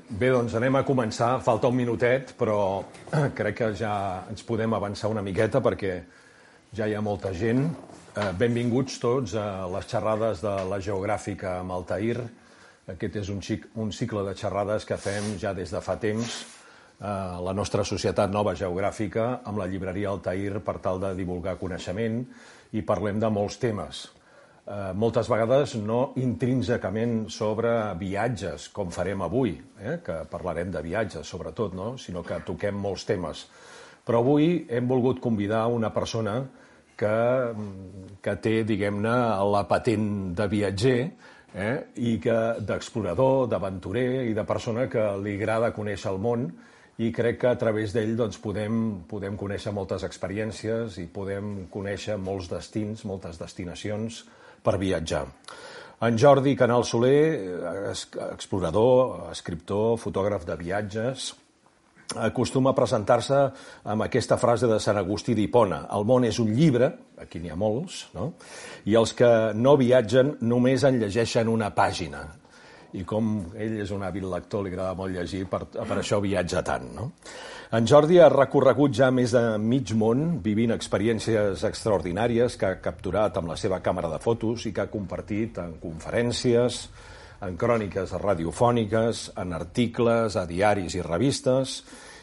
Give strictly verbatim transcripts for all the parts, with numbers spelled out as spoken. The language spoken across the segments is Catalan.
Bé, doncs anem a començar. Falta un minutet, però crec que ja ens podem avançar una miqueta perquè ja hi ha molta gent. Benvinguts tots a les xerrades de la Geogràfica amb Altair. Aquest és un, xic, un cicle de xerrades que fem ja des de fa temps a la nostra Societat Nova Geogràfica amb la llibreria Altair per tal de divulgar coneixement i parlem de molts temes. Eh, moltes vegades no intrínsecament sobre viatges, com farem avui, eh, que parlarem de viatges sobretot, no? Sinó que toquem molts temes. Però avui hem volgut convidar una persona que, que té, diguem-ne, la patent de viatger, eh, i que d'explorador, d'aventurer i de persona que li agrada conèixer el món, i crec que a través d'ell doncs, podem, podem conèixer moltes experiències i podem conèixer molts destins, moltes destinacions per viatjar. En Jordi Canal Soler, explorador, escriptor, fotògraf de viatges, acostuma a presentar-se amb aquesta frase de Sant Agustí d'Hipona: el món és un llibre, aquí n'hi ha molts, no? I els que no viatgen només en llegeixen una pàgina. I com ell és un hàbil lector, li agrada molt llegir, per, per això viatja tant, no? En Jordi ha recorregut ja més de mig món, vivint experiències extraordinàries que ha capturat amb la seva càmera de fotos i que ha compartit en conferències, en cròniques radiofòniques, en articles, a diaris i revistes,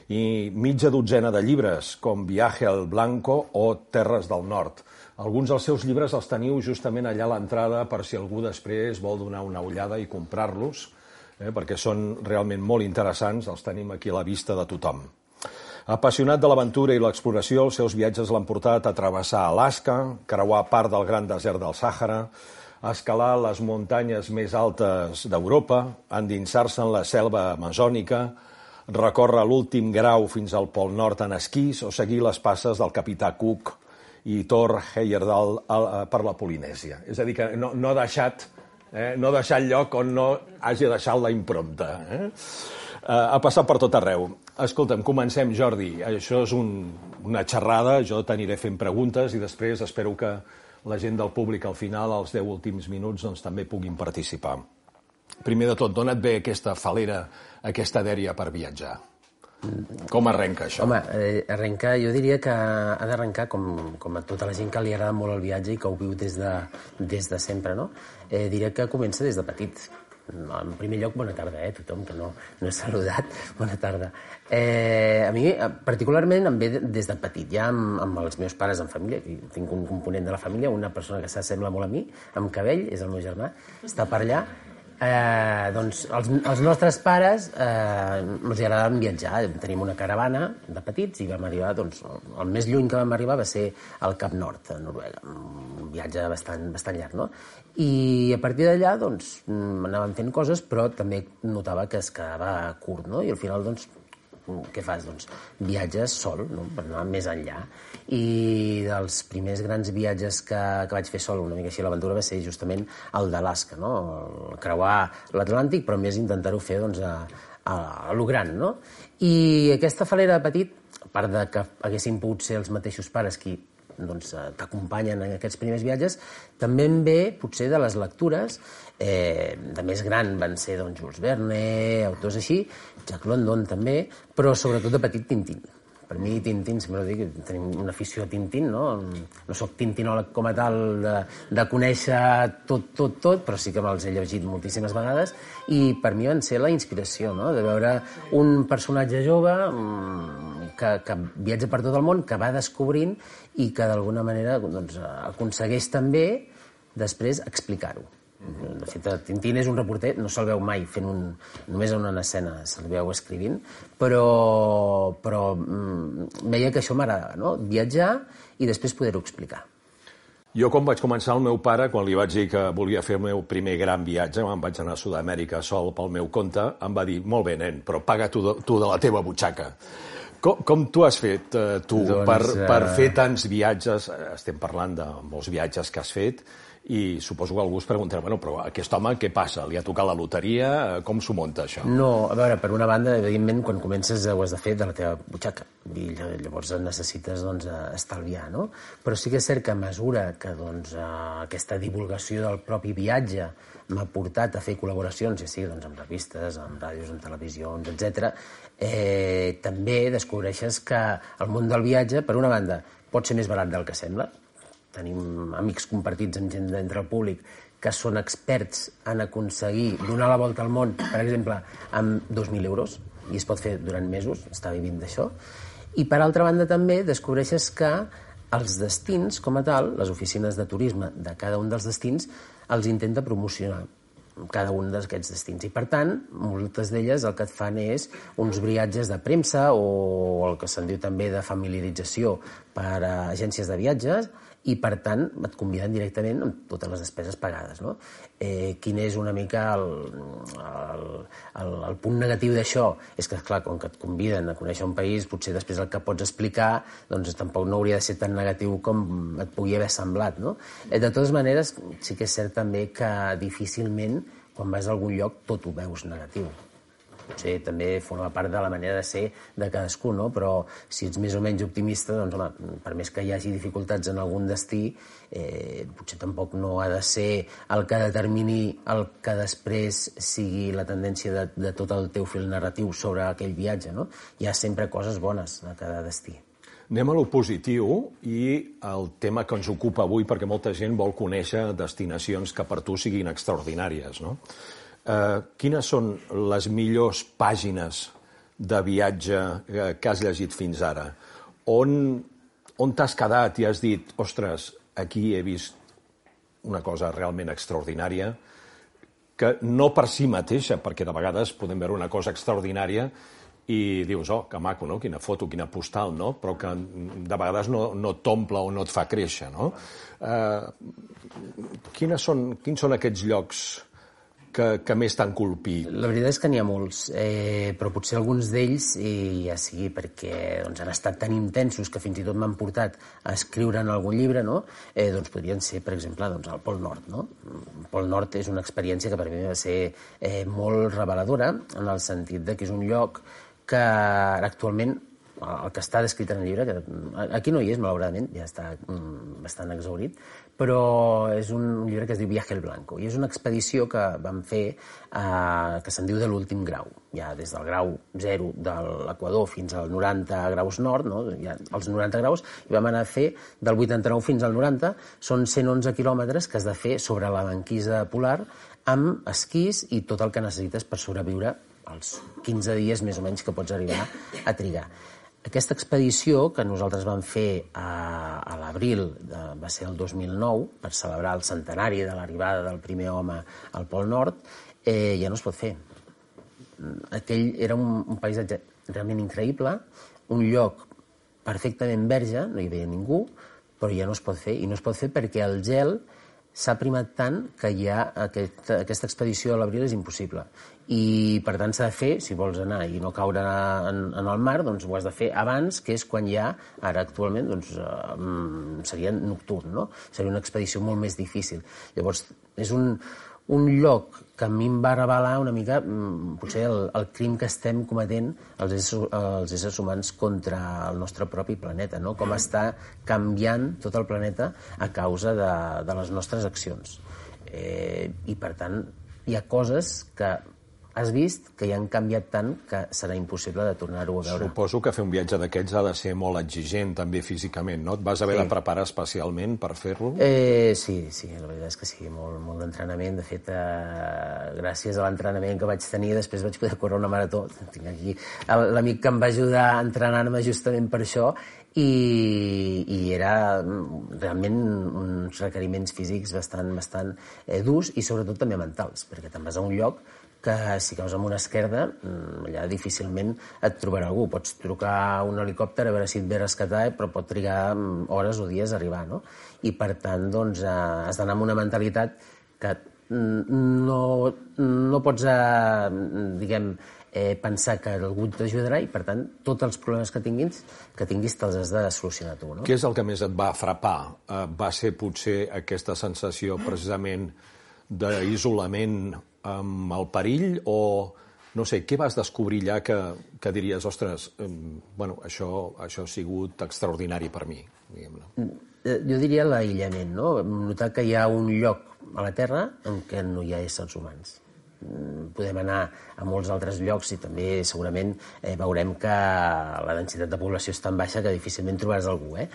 i mitja dotzena de llibres, com Viaje al Blanco o Terres del Nord. Alguns dels seus llibres els teniu justament allà a l'entrada per si algú després vol donar una ullada i comprar-los, eh, perquè són realment molt interessants, els tenim aquí a la vista de tothom. Apassionat de l'aventura i l'exploració, els seus viatges l'han portat a travessar Alaska, creuar part del gran desert del Sàhara, a escalar les muntanyes més altes d'Europa, endinsar-se en la selva amazònica, recórrer l'últim grau fins al Pol Nord en esquís o seguir les passes del capità Cook i Thor Heyerdahl per la Polinèsia. És a dir, que no, no ha deixat, eh, no ha deixat lloc on no hagi deixat la impremta. Eh? Uh, ha passat per tot arreu. Escolta'm, comencem, Jordi. Això és un, una xerrada, jo t'aniré fent preguntes i després espero que la gent del públic al final, als deu últims minuts, doncs, també puguin participar. Primer de tot, d'on et ve aquesta falera, aquesta dèria per viatjar? Com arrenca això? Home, eh, arrenca, jo diria que ha d'arrencar com, com a tota la gent que li agrada molt el viatge i que ho viu des de, des de sempre, no? Eh, diria que comença des de petit. En primer lloc, bona tarda, eh, tothom que no, no he saludat, bona tarda. Eh, a mi, particularment, em ve des de petit, ja amb, amb els meus pares en família, tinc un component de la família, una persona que s'assembla molt a mi, amb cabell, és el meu germà, està per allà. Eh, doncs els, els nostres pares eh, els agradaven viatjar. Tenim una caravana de petits i vam arribar, doncs, el més lluny que vam arribar va ser al Cap Nord, a Noruega, un viatge bastant, bastant llarg, no? I a partir d'allà, doncs, anàvem fent coses, però també notava que es quedava curt, no? I al final, doncs, què fas? Doncs viatges sol, no? Per anar més enllà. I dels primers grans viatges que, que vaig fer sol, una mica així a l'aventura, va ser justament el d'Alaska, no? El creuar l'Atlàntic, però més intentar-ho fer doncs, a, a, a lo gran, no? I aquesta falera de petit, a part de que haguessin pogut ser els mateixos pares qui doncs, t'acompanyen en aquests primers viatges, també em ve potser de les lectures. Eh, de més gran van ser doncs, Jules Verne, autors així, Jack London també, però sobretot de petit Tintín. Per mi Tintín, sempre ho dic, tenim una afició a Tintín, no? No soc tintinòleg com a tal de, de conèixer tot, tot, tot, però sí que me'ls he llegit moltíssimes vegades i per mi van ser la inspiració, no? De veure un personatge jove que, que viatja per tot el món, que va descobrint i que d'alguna manera doncs, aconsegueix també després explicar-ho. De fet, Tintín és un reporter, no se'l veu mai fent un... només en una escena se'l veu escrivint, però, però mm, veia que això m'agradava, no? Viatjar i després poder-ho explicar. Jo, quan vaig començar, el meu pare, quan li vaig dir que volia fer el meu primer gran viatge, em vaig anar a Sud-amèrica sol pel meu compte, em va dir, molt bé, nen, però paga tu de, tu de la teva butxaca. Com, com tu has fet, eh, tu, doncs, per, per fer tants viatges? Estem parlant de molts viatges que has fet, I suposo que algú es preguntarà, bueno, però aquest home què passa? Li ha tocat la loteria? Com s'ho munta, això? No, a veure, per una banda, evidentment, quan comences ho has de fer de la teva butxaca, i llavors necessites doncs, estalviar, no? Però sí que és cert que a mesura que doncs, aquesta divulgació del propi viatge m'ha portat a fer col·laboracions, ja sigui doncs, amb revistes, amb ràdios, amb televisions, etcètera, eh, també descobreixes que el món del viatge, per una banda, pot ser més barat del que sembla. Tenim amics compartits amb gent d'entre el públic que són experts en aconseguir donar la volta al món, per exemple, amb dos mil euros, i es pot fer durant mesos, està vivint d'això. I per altra banda també descobreixes que els destins, com a tal, les oficines de turisme de cada un dels destins, els intenta promocionar cada un d'aquests destins. I, per tant, moltes d'elles el que et fan és uns briatges de premsa o el que se'n diu també de familiarització per a agències de viatges, i, per tant, et conviden directament amb totes les despeses pagades, no? Eh, quin és una mica el, el, el, el punt negatiu d'això? És que, clar, com que et conviden a conèixer un país, potser després el que pots explicar doncs tampoc no hauria de ser tan negatiu com et pugui haver semblat, no? Eh, de totes maneres, sí que és cert també que difícilment, quan vas a algun lloc, tot ho veus negatiu. Potser també forma part de la manera de ser de cadascú, no? Però si ets més o menys optimista, doncs, home, per més que hi hagi dificultats en algun destí, eh, potser tampoc no ha de ser el que determini el que després sigui la tendència de, de tot el teu fil narratiu sobre aquell viatge, no? Hi ha sempre coses bones a cada destí. Anem a lo positiu i el tema que ens ocupa avui, perquè molta gent vol conèixer destinacions que per tu siguin extraordinàries, no? Uh, quines són les millors pàgines de viatge que has llegit fins ara? On, on t'has quedat i has dit, ostres, aquí he vist una cosa realment extraordinària, que no per si mateixa, perquè de vegades podem veure una cosa extraordinària i dius, oh, que maco, no? Quina foto, quina postal, no? Però que de vegades no, no t'omple o no et fa créixer, no? Uh, quines són, quins són aquests llocs que, que més t'han colpit? La veritat és que n'hi ha molts, eh, però potser alguns d'ells, i ja sigui perquè doncs, han estat tan intensos que fins i tot m'han portat a escriure en algun llibre, no? eh, doncs podrien ser, per exemple, doncs, el Pol Nord. No? El Pol Nord és una experiència que per mi va ser eh, molt reveladora, en el sentit de que és un lloc que actualment, el que està descrit en el llibre, que aquí no hi és, malauradament, ja està bastant exhaurit, però és un llibre que es diu Viaje al Blanco, i és una expedició que vam fer eh, que se'n diu de l'últim grau, ja des del grau zero de l'Equador fins als noranta graus nord, no? Ja, els noranta graus, i vam anar a fer del vuitanta-nou fins al noranta, són cent onze quilòmetres que has de fer sobre la banquisa polar amb esquís i tot el que necessites per sobreviure els quinze dies més o menys que pots arribar a trigar. Aquesta expedició que nosaltres vam fer a, a l'abril, va ser el dos mil nou, per celebrar el centenari de l'arribada del primer home al Pol Nord, eh, ja no es pot fer. Aquell era un, un paisatge realment increïble, un lloc perfectament verge, no hi havia ningú, però ja no es pot fer, i no es pot fer perquè el gel s'ha primat tant que ja aquest, aquesta expedició a l'abril és impossible. I, per tant, s'ha de fer, si vols anar i no caure en, en el mar, doncs ho has de fer abans, que és quan ja, ara actualment, doncs, eh, seria nocturn, no? Seria una expedició molt més difícil. Llavors, és un, un lloc que a mi em va revelar una mica, potser, el, el crim que estem cometent els éssers, els éssers humans contra el nostre propi planeta, no? Com està canviant tot el planeta a causa de, de les nostres accions. Eh, I, per tant, hi ha coses que has vist que ja han canviat tant que serà impossible de tornar-ho a veure. Suposo que fer un viatge d'aquests ha de ser molt exigent, també físicament, no? Et vas haver sí. de preparar especialment per fer-lo? Eh, sí, sí, la veritat és que sí, molt, molt d'entrenament. De fet, eh, gràcies a l'entrenament que vaig tenir, després vaig poder córrer una marató. Tinc aquí l'amic que em va ajudar a entrenar-me justament per això, i, i era realment uns requeriments físics bastant, bastant eh, durs, i sobretot també mentals, perquè te'n vas a un lloc que si caus amb una esquerda, allà difícilment et trobarà algú. Pots trucar a un helicòpter a veure si et ve a rescatar, però pot trigar hores o dies a arribar, no? I, per tant, doncs, has d'anar amb una mentalitat que no, no pots, eh, diguem, eh, pensar que algú t'ajudarà i, per tant, tots els problemes que tinguis, que tinguis te'ls has de solucionar tu, no? Què és el que més et va frapar? Eh, va ser potser aquesta sensació precisament d'isolament amb el perill o, no sé, què vas descobrir allà que, que diries, ostres, eh, bueno, això, això ha sigut extraordinari per mi, diguem-ne. Jo diria l'aïllament, no? Notar que hi ha un lloc a la Terra en què no hi ha éssers humans. Podem anar a molts altres llocs i també segurament eh, veurem que la densitat de població és tan baixa que difícilment trobaràs algú, eh?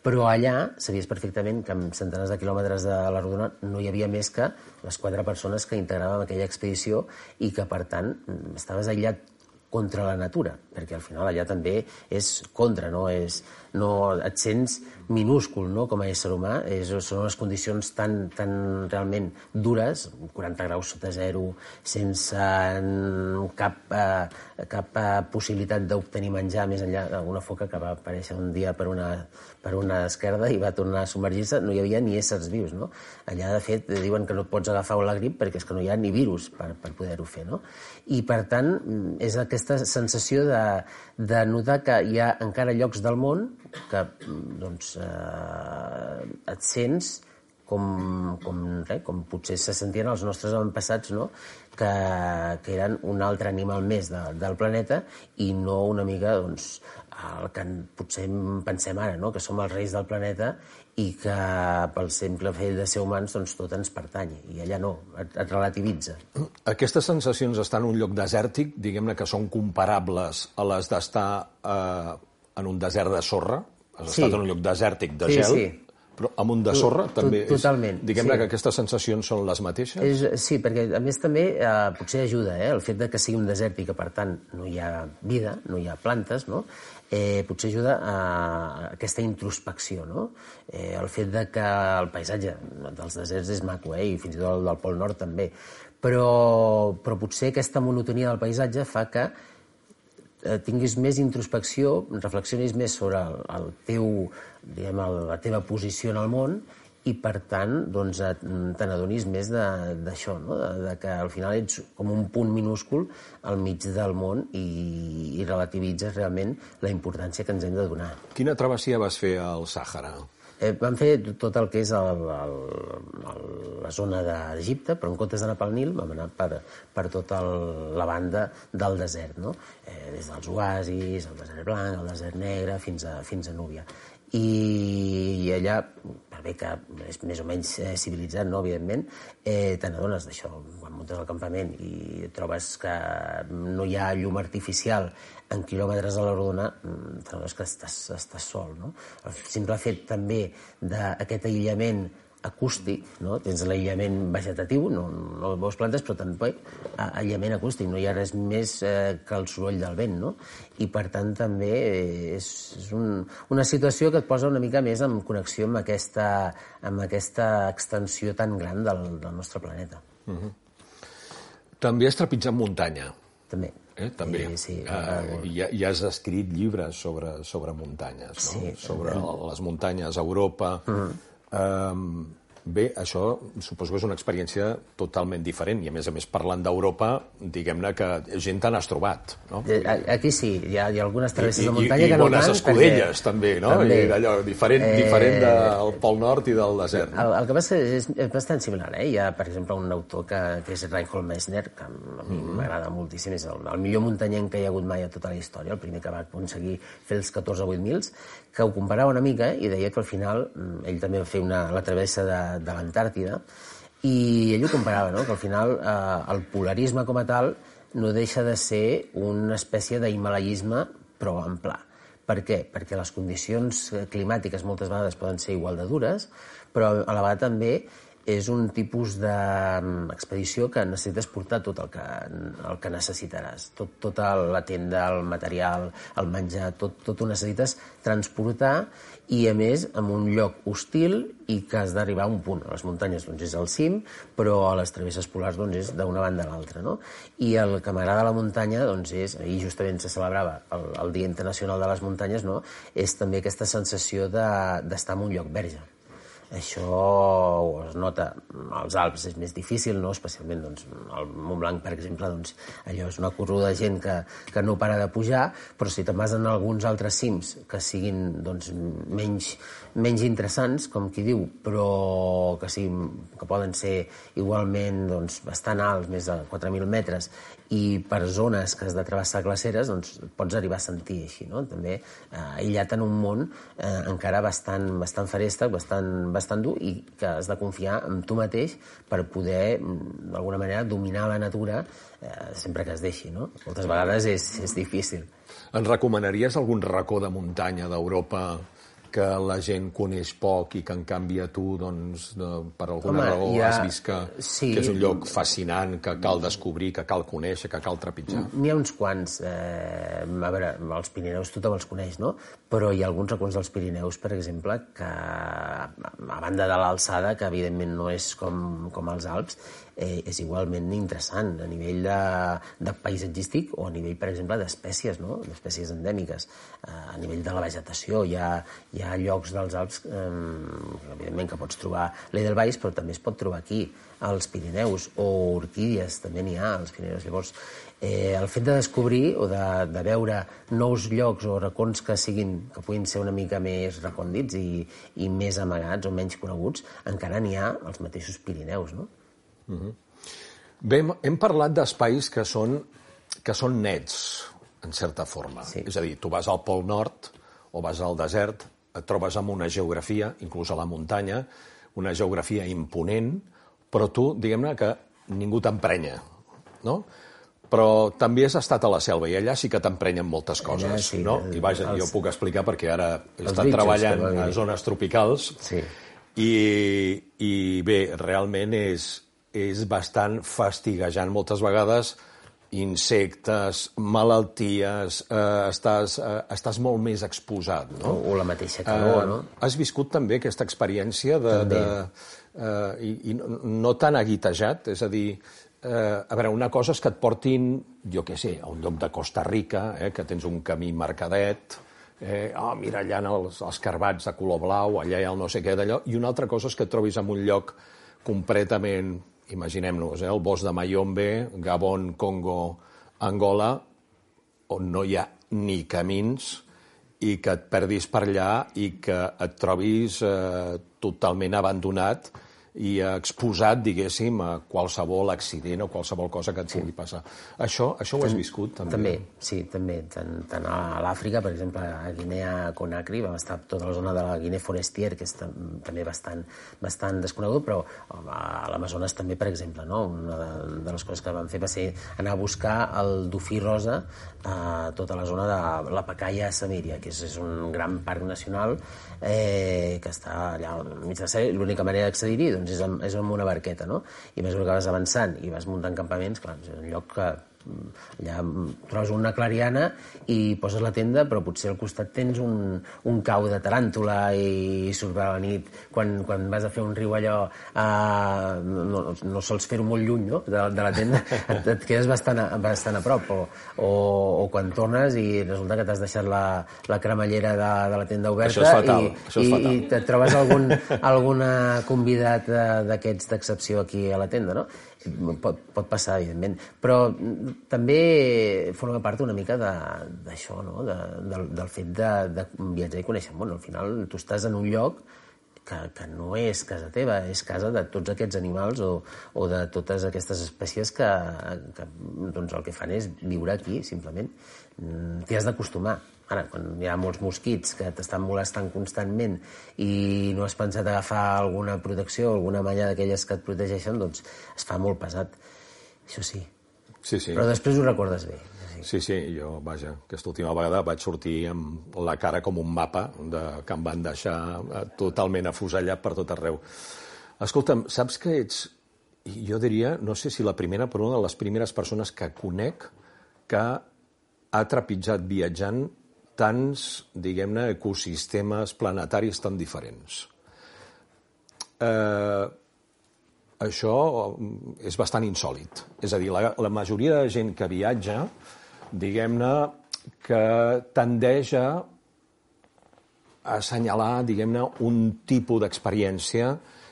Però allà sabies perfectament que amb centenars de quilòmetres de la rodona no hi havia més que les quatre persones que integràvem aquella expedició i que, per tant, estaves aïllat contra la natura, perquè al final allà també és contra, no? És, no et sents minúscul, no? Com a ésser humà, és, són unes condicions tan, tan realment dures, quaranta graus sota zero, sense cap, eh, cap eh, possibilitat d'obtenir menjar més enllà d'una foca que va aparèixer un dia per una, per una esquerda i va tornar a submergir-se, no hi havia ni éssers vius, no? Allà, de fet, diuen que no pots agafar la grip perquè és que no hi ha ni virus per, per poder-ho fer, no? I, per tant, és aquesta sensació de, de notar que hi ha encara llocs del món que doncs, eh, et sents com, com, res, com potser se sentien els nostres avantpassats, no? que, que eren un altre animal més de, del planeta i no una mica doncs, el que potser pensem ara, no? Que som els reis del planeta i que pel simple fet de ser humans doncs, tot ens pertany, i allà no, et, et relativitza. Aquestes sensacions estan en un lloc desèrtic, diguem-ne que són comparables a les d'estar eh, en un desert de sorra, has Sí. estat en un lloc desèrtic de Sí, gel, sí. però amb un de sorra To- també és... totalment, Diguem-ne sí. que aquestes sensacions són les mateixes? És, sí, perquè a més també eh, potser ajuda eh, el fet de que sigui un desert i que per tant no hi ha vida, no hi ha plantes, no? Eh, potser ajuda a aquesta introspecció, no? Eh, el fet de que el paisatge dels deserts és maco, eh, i fins i tot el del Pol Nord també, però, però potser aquesta monotonia del paisatge fa que eh, tinguis més introspecció, reflexionis més sobre el, el teu, diguem, el, la teva posició en el món i, per tant, doncs, et- te n'adonis més de- d'això, no? de, de que al final ets com un punt minúscul al mig del món i, i relativitzes realment la importància que ens hem de donar. Quina travessia vas fer al Sàhara? Eh, vam fer tot el que és el, el, el, la zona d'Egipte, però en comptes d'anar pel Nil vam anar per, per tota el, la banda del desert, no? eh, des dels oasis, el desert blanc, el desert negre, fins a, fins a Núbia. I, i allà, per bé que és més o menys eh, civilitzat, no, evidentment, eh, te n'adones d'això. Quan muntes al campament i trobes que no hi ha llum artificial en quilòmetres a la rodona, te n'adones que estàs, estàs sol, no? El simple fet també d'aquest aïllament acústic, no? Tens l'aïllament vegetatiu, no, no veus plantes, però també aïllament acústic, no hi ha res més eh, que el soroll del vent, no? I per tant també és, és un, una situació que et posa una mica més en connexió amb aquesta, amb aquesta extensió tan gran del, del nostre planeta. Uh-huh. També has trepitjat muntanya. També. Eh, també. Sí, sí, uh, i, I has escrit llibres sobre, sobre muntanyes, no? Sí, sobre les muntanyes a Europa. Uh-huh. Um, bé, això suposo que és una experiència totalment diferent i, a més a més, parlant d'Europa, diguem-ne que gent te n'has trobat, no? Aquí sí, hi ha, hi ha algunes travesses I, de muntanya i, que i no bones tant. escudelles, perquè... també, no? També. I d'allò, diferent, Eh, diferent del Pol Nord i del desert. No? El, el que passa és, és bastant similar, eh? Hi ha, per exemple, un autor que, que és Reinhold Messner, que a mi m'agrada moltíssim, és el, el millor muntanyenc que hi ha hagut mai a tota la història, el primer que va aconseguir fer els catorze vuit mils, que ho comparava una mica i deia que al final ell també va fer una, la travessa de, de l'Antàrtida i ell ho comparava, no? Que al final eh, el polarisme com a tal no deixa de ser una espècie d'himalaisme però en pla. Per què? Perquè les condicions climàtiques moltes vegades poden ser igual de dures, però a la vegada també és un tipus d'expedició que necessites portar tot el que, el que necessitaràs. Tot, tota la tenda, el material, el menjar, tot, tot ho necessites transportar i, a més, en un lloc hostil i que has d'arribar a un punt. A les muntanyes doncs, és al cim, però a les travesses polars doncs, és d'una banda a l'altra. No? I el que m'agrada a la muntanya doncs, és, ahir justament se celebrava el, el Dia Internacional de les Muntanyes, no? És també aquesta sensació de, d'estar en un lloc verge. Això es nota als Alps, és més difícil, no? Especialment doncs, al Montblanc, per exemple, doncs, allò és una corruda de gent que, que no para de pujar, però si te'n vas en alguns altres cims que siguin doncs, menys, menys interessants, com qui diu, però que, siguin, que poden ser igualment doncs, bastant alts, més de quatre mil metres, i per zones que has de travessar glaceres, doncs pots arribar a sentir així, no? També eh, aïllat en un món eh, encara bastant, bastant feréstec, bastant, bastant dur, i que has de confiar en tu mateix per poder, d'alguna manera, dominar la natura eh, sempre que es deixi, no? Moltes vegades és, és difícil. Ens recomanaries algun racó de muntanya d'Europa que la gent coneix poc i que, en canvi, a tu, doncs, de, per alguna Home, raó, ha... has vist que, sí. que és un lloc fascinant, que cal descobrir, que cal conèixer, que cal trepitjar? N'hi ha uns quants. Eh, a veure, els Pirineus tothom els coneix, no? Però hi ha alguns racons dels Pirineus, per exemple, que, a banda de l'alçada, que evidentment no és com, com els Alps, eh, és igualment interessant a nivell de, de paisatgístic o a nivell, per exemple, d'espècies, no? D'espècies endèmiques. Eh, a nivell de la vegetació hi ha, hi ha llocs dels Alps, eh, evidentment, que pots trobar l'Edelweiss, però també es pot trobar aquí, als Pirineus, o orquídies, també n'hi ha als Pirineus. Llavors, eh, el fet de descobrir o de, de veure nous llocs o racons que siguin, que puguin ser una mica més recòndits i, i més amagats o menys coneguts, encara n'hi ha als mateixos Pirineus, no? Uh-huh. Bé, hem parlat d'espais que són, que són nets, en certa forma. Sí. És a dir, tu vas al Pol Nord o vas al desert, et trobes amb una geografia, inclús a la muntanya, una geografia imponent, però tu, diguem-ne, que ningú t'emprenya, no? Però també has estat a la selva i allà sí que t'emprenyen moltes coses, allà, sí, no? I vaja, els, jo puc explicar perquè ara he estat bitxos, treballant a zones tropicals sí. i, i bé, realment és, és bastant fastiguejant moltes vegades, insectes, malalties, eh, estàs, eh, estàs molt més exposat, no? O, o la mateixa calor, eh, no? Has viscut també aquesta experiència de... de eh, i, i no, no tan aguitejat, és a dir, eh, a veure, una cosa és que et portin, jo què sé, a un lloc de Costa Rica, eh, que tens un camí marcadet, eh, oh, mira, allà els, els carbats de color blau, allà hi ha el no sé què d'allò, i una altra cosa és que et trobis en un lloc completament... Imaginem-nos, eh, el bosc de Mayombe, Gabon, Congo, Angola, on no hi ha ni camins i que et perdis per allà i que et trobis eh, totalment abandonat i exposat, diguéssim, a qualsevol accident o qualsevol cosa que et pugui passar. Això, això ho has viscut, també? També, sí, també. Tant, tant a l'Àfrica, per exemple, a Guinea-Conakry, vam estar tota la zona de la Guinea Forestier, que és també bastant, bastant desconegut, però a l'Amazones també, per exemple, no? Una de les coses que vam fer va ser anar a buscar el dofí rosa a tota la zona de la Pacaya Samiria, que és, és un gran parc nacional eh, que està allà al mig de la Sèrie. L'única manera d'accedir-hi doncs, és, amb, és amb una barqueta, no? I més que vas avançant i vas muntant campaments, clar, és un lloc que allà trobes una clariana i poses la tenda, però potser al costat tens un, un cau de taràntula i surt a la nit quan, quan vas a fer un riu allò eh, no, no sols fer-ho molt lluny, no? de, de la tenda, et, et quedes bastant a, bastant a prop, o, o, o quan tornes i resulta que t'has deixat la, la cremallera de, de la tenda oberta. Això és fatal, i, això és fatal. i, i et trobes algun alguna convidat d'aquests d'excepció aquí a la tenda, no? Pot, pot passar, evidentment, però també forma part una mica d'això, no? de, del, del fet de, de viatjar i conèixer el món. Al final tu estàs en un lloc que, que no és casa teva, és casa de tots aquests animals o, o de totes aquestes espècies que, que doncs el que fan és viure aquí, simplement. T'hi has d'acostumar. Ara, quan hi ha molts mosquits que t'estan molestant constantment i no has pensat agafar alguna protecció, alguna malla d'aquelles que et protegeixen, doncs es fa molt pesat. Això sí. Sí, sí. Però després ho recordes bé. Sí. sí, sí, jo, vaja, aquesta última vegada vaig sortir amb la cara com un mapa de, que em van deixar totalment afusellat per tot arreu. Escolta'm, saps que ets, jo diria, no sé si la primera, però una de les primeres persones que conec que ha trepitjat viatjant tants, diguem-ne, ecosistemes planetaris tan diferents. Eh, això és bastant insòlit. És a dir, la, la majoria de gent que viatja, diguem-ne, que tendeix a assenyalar, diguem-ne, un tipus d'experiència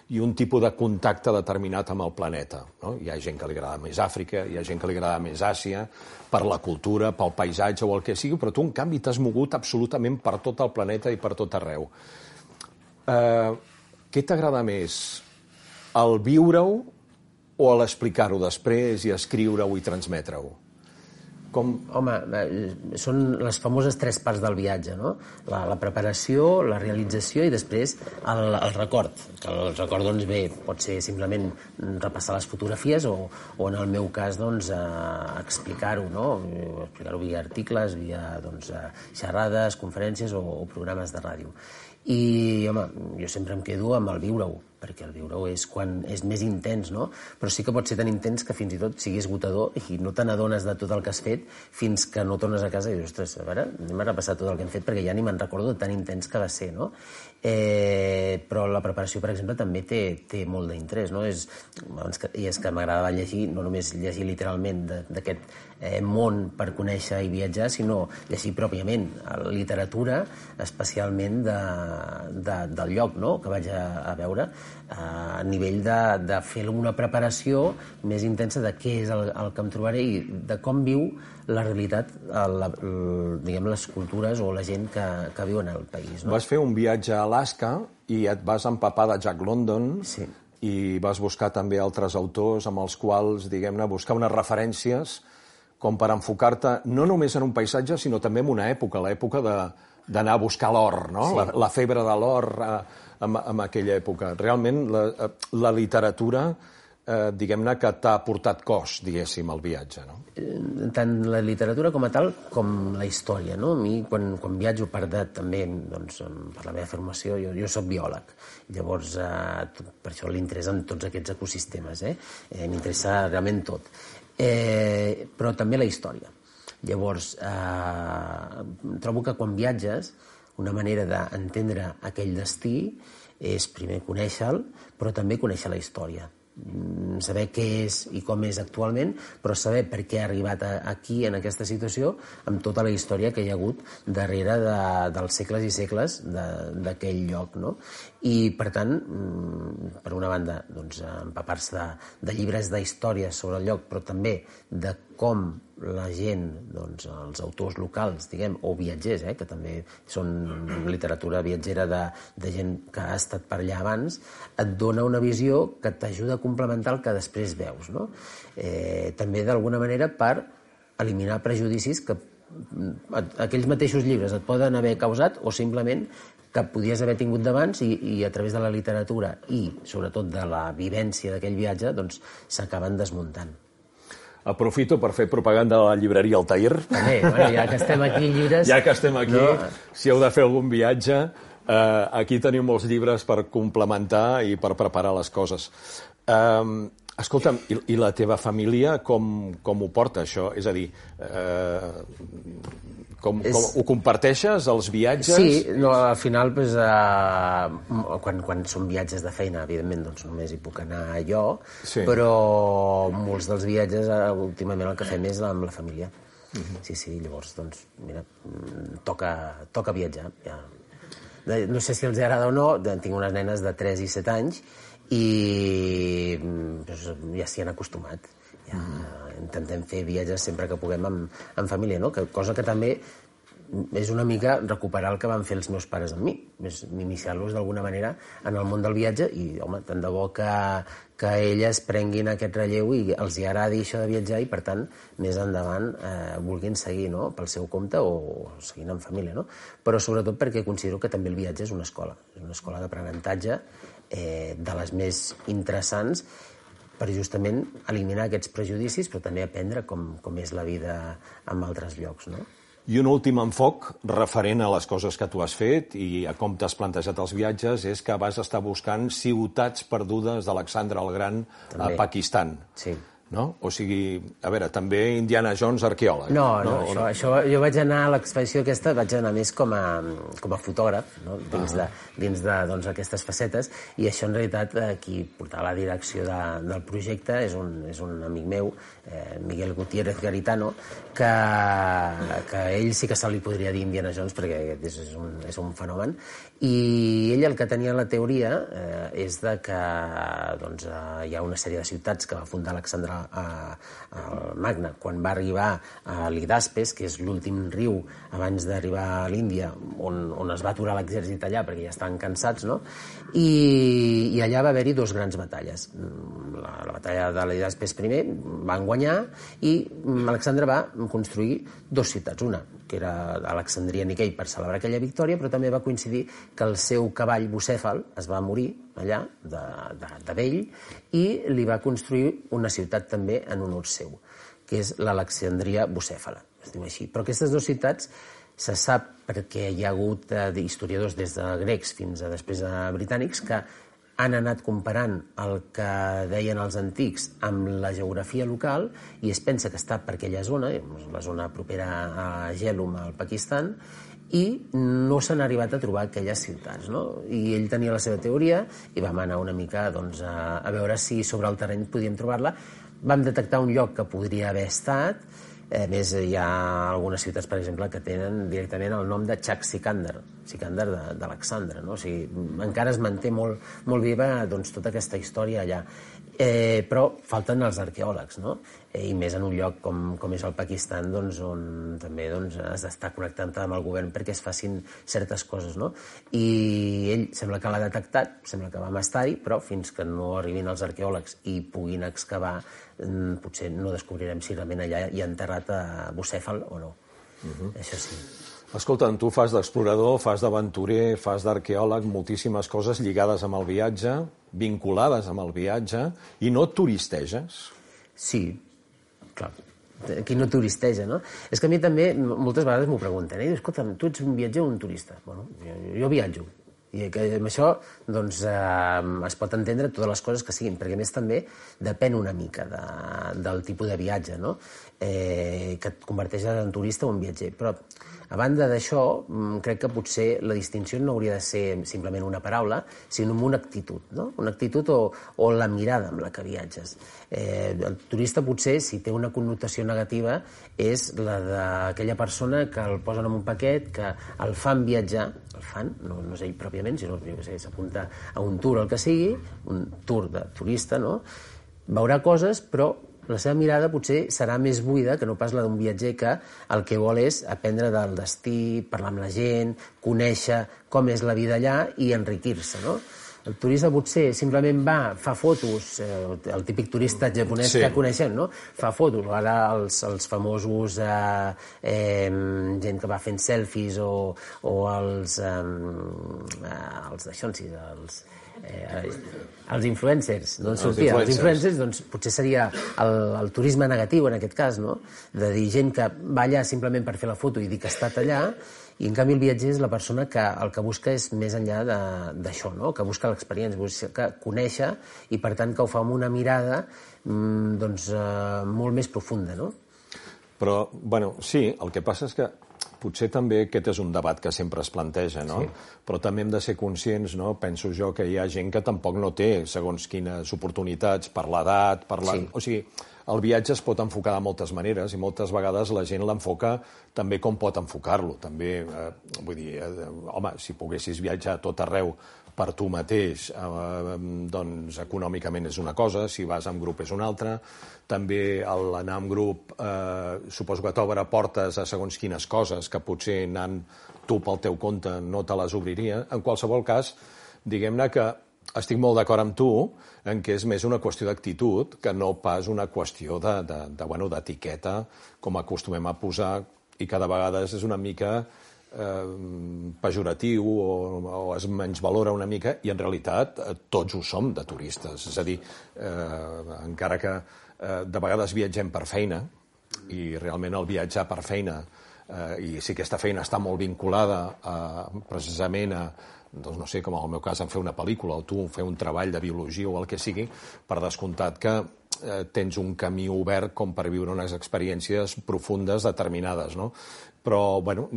i un tipus de contacte determinat amb el planeta. No? Hi ha gent que li agrada més Àfrica, hi ha gent que li agrada més Àsia, per la cultura, pel paisatge o el que sigui, però tu, en canvi, t'has mogut absolutament per tot el planeta i per tot arreu. Eh, què t'agrada més? El viure-ho o l'explicar-ho després i escriure-ho i transmetre-ho? Com... Home, són les famoses tres parts del viatge, no? La, la preparació, la realització i després el, el record. Que el record, doncs, bé, pot ser simplement repassar les fotografies o, o en el meu cas, doncs, eh, explicar-ho, no? Explicar-ho via articles, via, doncs, xerrades, conferències o, o programes de ràdio. I, home, jo sempre em quedo amb el viure-ho, perquè el viure-ho és quan és més intens, no? Però sí que pot ser tan intens que fins i tot sigui esgotador i no te n'adones de tot el que has fet fins que no tornes a casa i dius, ostres, a veure, anem a repassar tot el que hem fet perquè ja ni me'n recordo tan intens que va ser, no? Eh, però la preparació, per exemple, també té, té molt d'interès, no? És, i és que m'agradava llegir, no només llegir literalment d'aquest eh, món per conèixer i viatjar, sinó llegir pròpiament literatura, especialment de, de, del lloc, no?, que vaig a, a veure, a nivell de, de fer una preparació més intensa de què és el, el que em trobaré i de com viu la realitat, el, el, diguem, les cultures o la gent que, que viu en el país. No? Vas fer un viatge a Alaska i et vas empapar de Jack London, sí, i vas buscar també altres autors amb els quals, diguem-ne, buscar unes referències com per enfocar-te no només en un paisatge, sinó també en una època, l'època de, d'anar a buscar l'or, no? Sí. La, la febre de l'or eh, en, en aquella època. Realment, la, la literatura, eh, diguem-ne, que t'ha portat cos, diguéssim, al viatge, no? Tant la literatura com a tal, com la història, no? A mi, quan, quan viatjo per de, també, doncs, per la meva formació, jo, jo soc biòleg. Llavors, eh, per això l'interès en tots aquests ecosistemes, eh? eh m'interessa realment tot. Eh, però també la història. Llavors, eh, trobo que quan viatges, una manera d'entendre aquell destí és primer conèixer-lo, però també conèixer la història. Saber què és i com és actualment, però saber per què ha arribat aquí, en aquesta situació, amb tota la història que hi ha hagut darrere de, dels segles i segles d'aquell lloc, no? I, per tant, per una banda, doncs, empapar-se de, de llibres d'història sobre el lloc, però també de com la gent, doncs, els autors locals, diguem, o viatgers, eh, que també són literatura viatgera de, de gent que ha estat per allà abans, et dona una visió que t'ajuda a complementar el que després veus, no? Eh, també, d'alguna manera, per eliminar prejudicis que aquells mateixos llibres et poden haver causat o simplement que podies haver tingut d'abans i, i a través de la literatura i, sobretot, de la vivència d'aquell viatge, doncs, s'acaben desmuntant. Aprofito per fer propaganda de la llibreria Altair. També, bueno, ja que estem aquí, llibres... Ja que estem aquí, no? Si heu de fer algun viatge, eh, aquí teniu molts llibres per complementar i per preparar les coses. Eh, escolta'm, i, i la teva família com, com ho porta, això? És a dir, eh, com, és... com ho comparteixes, els viatges? Sí, no, al final, pues, eh, quan, quan són viatges de feina, evidentment, doncs només hi puc anar jo, sí, però molts dels viatges, eh, últimament, el que fem és amb la família. Uh-huh. Sí, sí, llavors, doncs, mira, toca, toca viatjar. Ja. No sé si els agrada o no, tinc unes nenes de tres i set anys i doncs, ja s'hi han acostumat. Ja mm. intentem fer viatges sempre que puguem amb, amb família, no? Que, cosa que també és una mica recuperar el que van fer els meus pares amb mi, és iniciar-los d'alguna manera en el món del viatge i, home, tant de bo que, que elles prenguin aquest relleu i els hi agradi això de viatjar i, per tant, més endavant eh, vulguin seguir, no?, pel seu compte o seguint en família, no? Però sobretot perquè considero que també el viatge és una escola, és una escola d'aprenentatge eh, de les més interessants per justament eliminar aquests prejudicis, però també aprendre com, com és la vida en altres llocs, no? I un últim enfoc referent a les coses que tu has fet i a com t'has plantejat els viatges és que vas estar buscant ciutats perdudes d'Alexandre el Gran també a Pakistan. Sí. no? O sigui, a veure, també Indiana Jones arqueòleg. No, no, no això, no? això, jo vaig anar a l'expedició aquesta, vaig anar més com a, com a fotògraf, no? dins, uh -huh. de, dins de doncs, aquestes facetes, i això en realitat qui portava la direcció de, del projecte és un, és un amic meu, eh, Miguel Gutiérrez Garitano, que, que ell sí que se li podria dir Indiana Jones perquè és, és, un, és un fenomen, i ell el que tenia la teoria eh, és de que doncs, eh, hi ha una sèrie de ciutats que va fundar Alexandre el Magne quan va arribar a l'Hidaspes, que és l'últim riu abans d'arribar a l'Índia, on, on es va aturar l'exèrcit allà perquè ja estaven cansats, no? I, i allà va haver-hi dos grans batalles. La, la batalla de l'Hidaspes primer van guanyar i Alexandre va construir dues ciutats, una que era Alexandria Niquei per celebrar aquella victòria, però també va coincidir que el seu cavall Bucèfal es va morir allà, de, de, de vell, i li va construir una ciutat també en honor seu, que és l'Alexandria Bucèfala, es diu així. Però aquestes dues ciutats se sap, perquè hi ha hagut eh, historiadors des de grecs fins a després de britànics, que han anat comparant el que deien els antics amb la geografia local i es pensa que està per aquella zona, la zona propera a Jhelum, al Pakistan, i no s'han arribat a trobar aquelles ciutats, no? I ell tenia la seva teoria i vam anar una mica doncs, a, a veure si sobre el terreny podíem trobar-la. Vam detectar un lloc que podria haver estat. A més, hi ha algunes ciutats, per exemple, que tenen directament el nom de Chak Sikandar, Sikandar d'Alexandre, no? O sigui, encara es manté molt, molt viva doncs, tota aquesta història allà. Eh, però falten els arqueòlegs, no? Eh, I més en un lloc com, com és el Pakistan, doncs, on també doncs, has d'estar connectant amb el govern perquè es facin certes coses, no? I ell sembla que l'ha detectat, sembla que vam estar-hi, però fins que no arribin els arqueòlegs i puguin excavar, potser no descobrirem si realment allà hi ha enterrat a Bucèfal o no. Uh-huh. Això sí. Escolta, tu fas d'explorador, fas d'aventurer, fas d'arqueòleg, moltíssimes coses lligades amb el viatge, vinculades amb el viatge, i no turisteges? Sí, clar. Qui no turisteja, no? És que a mi també, moltes vegades m'ho pregunten, eh? Escolta'm, tu ets un viatger o un turista? Bueno, jo, jo viatjo. I que amb això doncs, eh, es pot entendre totes les coses que siguin, perquè a més també depèn una mica de, del tipus de viatge, no? eh, que et converteix en turista o en viatger. Però, a banda d'això, crec que potser la distinció no hauria de ser simplement una paraula, sinó una actitud, no? Una actitud o, o la mirada amb la que viatges. Eh, el turista potser, si té una connotació negativa, és la d'aquella persona que el posen en un paquet, que el fan viatjar, el fan, no, no és ell pròpiament, sinó que s'apunta a un tour, el que sigui, un tour de turista, no? Veurà coses, però la seva mirada potser serà més buida que no pas la d'un viatger que el que vol és aprendre del destí, parlar amb la gent, conèixer com és la vida allà i enriquir-se, no? El turista potser simplement va, fa fotos, eh, el típic turista japonès sí. que coneixem, no? Fa fotos, ara els, els famosos eh, eh, gent que va fent selfies o, o els, eh, els d'això, sí, els... Eh, els influencers, no els sortia, els influencers, doncs potser seria el, el turisme negatiu en aquest cas, no? De dir gent que va allà simplement per fer la foto i dir que ha estat allà, i en canvi el viatger és la persona que el que busca és més enllà d'això, no? Que busca l'experiència, busca conèixer i per tant que ho fa amb una mirada doncs, eh, molt més profunda, no? Però, bueno, sí, el que passa és que potser també aquest és un debat que sempre es planteja, no? Sí. Però també hem de ser conscients, no? Penso jo que hi ha gent que tampoc no té segons quines oportunitats per l'edat, per la... Sí. O sigui, el viatge es pot enfocar de moltes maneres i moltes vegades la gent l'enfoca també com pot enfocar-lo. També, eh, vull dir, eh, home, si poguessis viatjar a tot arreu per tu mateix, eh, doncs econòmicament és una cosa, si vas en grup és una altra. També l'anar en grup eh, suposo que t'obre portes a segons quines coses que potser anant tu pel teu compte no te les obriria. En qualsevol cas, diguem-ne que estic molt d'acord amb tu en què és més una qüestió d'actitud que no pas una qüestió de, de, de, bueno, d'etiqueta, com acostumem a posar, i cada vegada és una mica eh, pejoratiu o, o es menysvalora una mica, i en realitat eh, tots ho som de turistes. És a dir, eh, encara que eh, de vegades viatgem per feina, i realment el viatjar per feina, eh, i si aquesta feina està molt vinculada a, precisament a doncs no sé, com en el meu cas, en fer una pel·lícula o tu fer un treball de biologia o el que sigui, per descomptat que eh, tens un camí obert com per viure unes experiències profundes determinades, no? Però, bueno,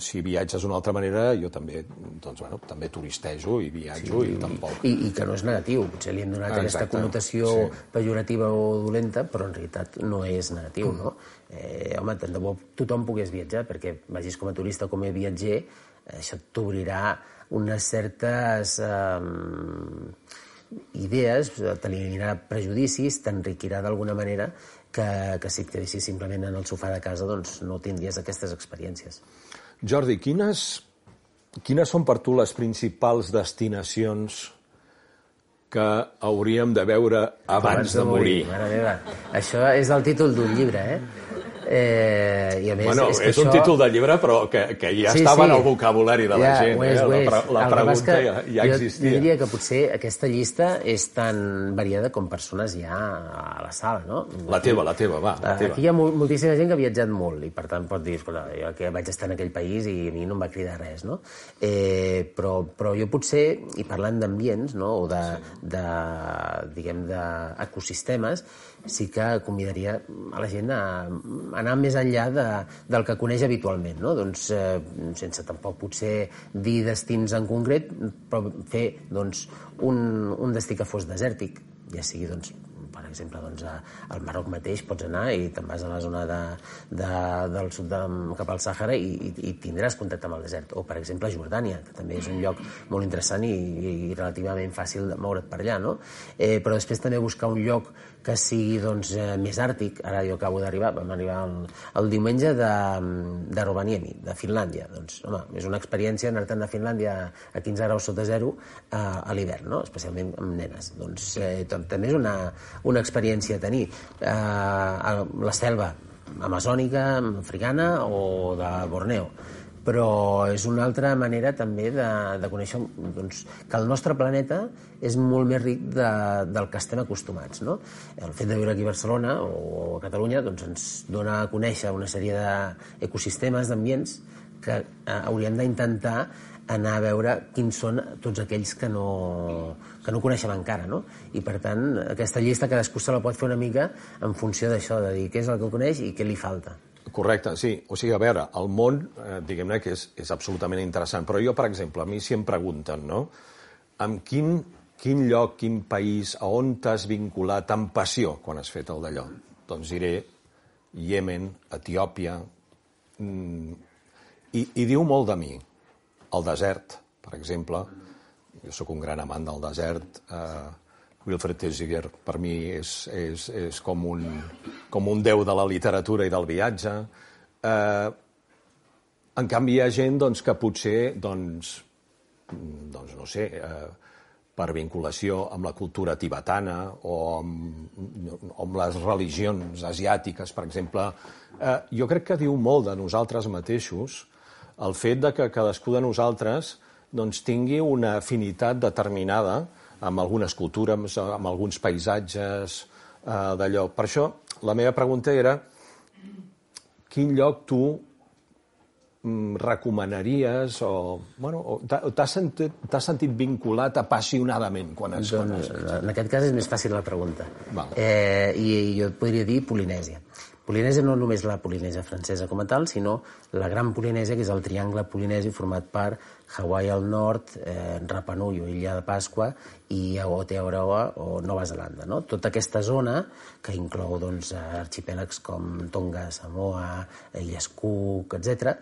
si viatges d'una altra manera, jo també, doncs, bueno, també turistejo i viatjo sí, i tampoc... I, I que no és negatiu, potser li hem donat Exacte. aquesta connotació sí. pejorativa o dolenta, però en realitat no és negatiu, no? Eh, home, tant de bo tothom pogués viatjar, perquè vagis com a turista o com a viatger, això t'obrirà unes certes eh, idees, t'eliminarà prejudicis, t'enriquirà d'alguna manera que, que si et quedessis simplement en el sofà de casa doncs no tindries aquestes experiències. Jordi, quines, quines són per tu les principals destinacions que hauríem de veure abans, abans de, de morir? morir? Mare meva, això és el títol d'un llibre, eh? Eh, i a més, bueno, és, que és això... un títol de llibre, però que, que ja sí, estava sí. en el vocabulari de la ja, gent. És, eh? La, la, la pregunta ja, ja existia. Jo diria que potser aquesta llista és tan variada com persones hi ha a la sala, no? La teva, la teva, va. La teva. Aquí hi ha moltíssima gent que ha viatjat molt i, per tant, pot dir, escolta, jo que vaig estar en aquell país i a mi no em va cridar res, no? Eh, però, però jo potser, i parlant d'ambients, no?, o de, sí. de diguem, d'ecosistemes, sí que convidaria a la gent a anar més enllà de, del que coneix habitualment, no? Doncs, eh, sense tampoc potser dir destins en concret, però fer doncs, un, un destí que fos desèrtic, ja sigui, doncs, per exemple, doncs, al Marroc mateix pots anar i te'n vas a la zona de, de, del sud de, cap al Sàhara i, i, i tindràs contacte amb el desert. O, per exemple, Jordània, que també és un lloc molt interessant i, i relativament fàcil de moure't per allà, no? Eh, però després també buscar un lloc que sigui doncs, eh, més àrtic. Ara jo acabo d'arribar, vam arribar el, el diumenge de, de Rovaniemi, de Finlàndia. Doncs, home, és una experiència anar-te'n de Finlàndia a quinze graus sota zero a, a l'hivern, no? Especialment amb nenes. Doncs eh, també és una, una experiència a tenir. Eh, a la selva amazònica, africana o de Borneo. Però és una altra manera també de, de conèixer doncs, que el nostre planeta és molt més ric de, del que estem acostumats, no? El fet de viure aquí a Barcelona o a Catalunya doncs, ens dona a conèixer una sèrie d'ecosistemes, d'ambients que eh, hauríem d'intentar anar a veure quins són tots aquells que no, que no coneixem encara, no? I per tant, aquesta llista cadascú se la pot fer una mica en funció d'això, de dir què és el que coneix i què li falta. Correcte, sí. O sigui, a veure, el món, eh, diguem-ne que és, és absolutament interessant, però jo, per exemple, a mi si em pregunten, no?, amb quin, quin lloc, quin país, a on t'has vinculat amb passió quan has fet el d'allò? Doncs diré Iemen, Etiòpia, mm, i, i diu molt de mi. El desert, per exemple, jo sóc un gran amant del desert, eh, Wilfred Thesiger per mi és, és, és com, un, com un déu de la literatura i del viatge. Eh, en canvi, hi ha gent doncs, que potser, doncs, doncs, no sé, eh, per vinculació amb la cultura tibetana o amb, amb les religions asiàtiques, per exemple, eh, jo crec que diu molt de nosaltres mateixos el fet de que cadascú de nosaltres doncs, tingui una afinitat determinada amb algunes cultures, amb alguns paisatges, eh, d'allò. Per això, la meva pregunta era quin lloc tu mm, recomanaries o, bueno, o t'has sentit, t'has sentit vinculat apassionadament quan has doncs, en aquest cas és més fàcil la pregunta. Val. Eh, i jo et podria dir Polinèsia. Polinèsia no només la Polinèsia francesa com a tal, sinó la gran Polinèsia, que és el triangle polinèsi format per Hawaii al nord, eh, Rapa Nui o Illa de Pasqua i Aotearoa o Nova Zelanda. No? Tota aquesta zona, que inclou doncs, arxipèlags com Tonga, Samoa, Illes Cook, etcètera,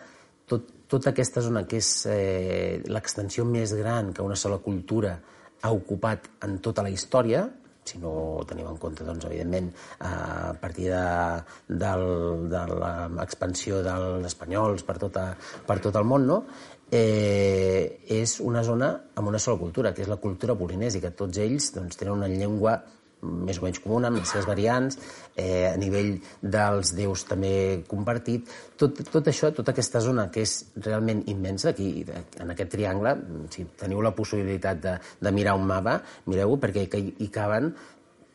tot, tota aquesta zona que és eh, l'extensió més gran que una sola cultura ha ocupat en tota la història, si no tenim en compte, doncs, evidentment, a partir de, del, de l'expansió dels espanyols per, tota, per tot el món, no? eh, és una zona amb una sola cultura, que és la cultura polinèsica. Tots ells doncs, tenen una llengua més o menys comuna, amb les seves variants, eh, a nivell dels déus també compartit. Tot, tot això, tota aquesta zona que és realment immensa, aquí, en aquest triangle, si teniu la possibilitat de, de mirar un mapa, mireu-ho, perquè hi caben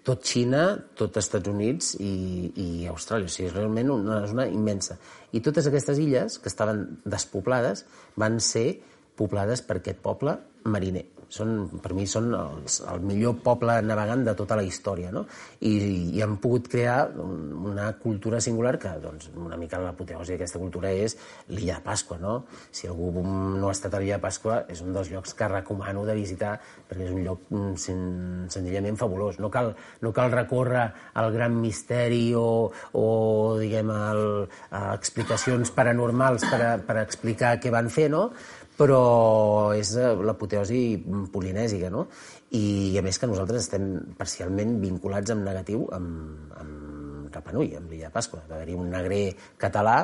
tot Xina, tot Estats Units i, i Austràlia. O sigui, és realment una zona immensa. I totes aquestes illes, que estaven despoblades, van ser poblades per aquest poble mariner. Són, per mi són els, el millor poble navegant de tota la història, no? I, i han pogut crear una cultura singular que, doncs, una mica l'apoteosi d'aquesta cultura és l'illa de Pasqua, no? Si algú no ha estat a l'illa de Pasqua, és un dels llocs que recomano de visitar perquè és un lloc sen, senzillament fabulós. No cal, no cal recórrer al gran misteri o, o diguem, el, a explicacions paranormals per, a, per a explicar què van fer, no? Però és l'apoteosi polinèsica, no? I a més que nosaltres estem parcialment vinculats en negatiu amb, amb Rapa Nui, amb l'illa de Pasqua. Va haver-hi un negrer català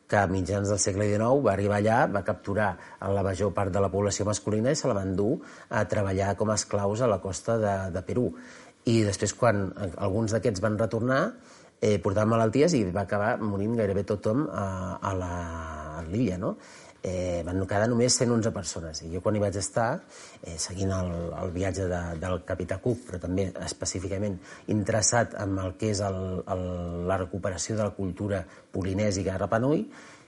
que a mitjans del segle dinou va arribar allà, va capturar la major part de la població masculina i se la va endur a treballar com a esclaus a la costa de, de Perú. I després, quan alguns d'aquests van retornar, eh, portaven malalties i va acabar morint gairebé tothom a, a l'illa, no? Eh, van quedar només cent onze persones. I jo quan hi vaig estar, eh, seguint el, el viatge de, del capità Cook, però també específicament interessat en el que és el, el, la recuperació de la cultura polinèsica a Rapa Nui,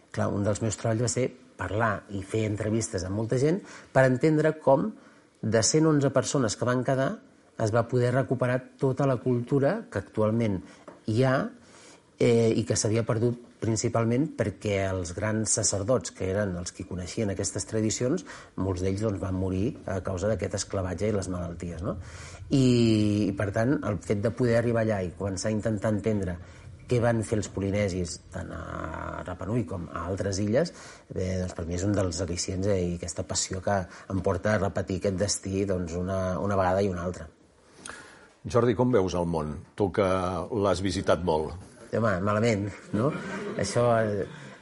clar, un dels meus treballs va ser parlar i fer entrevistes amb molta gent per entendre com de cent onze persones que van quedar es va poder recuperar tota la cultura que actualment hi ha eh, i que s'havia perdut principalment perquè els grans sacerdots, que eren els que coneixien aquestes tradicions, molts d'ells doncs, van morir a causa d'aquest esclavatge i les malalties, no? I, I, per tant, el fet de poder arribar allà i començar a intentar entendre què van fer els polinesis tant a Rapa Nui com a altres illes, eh, doncs per mi és un dels al·licients eh, i aquesta passió que em porta a repetir aquest destí doncs, una, una vegada i una altra. Jordi, com veus el món? Tu que l'has visitat molt. Home, malament, no? Això...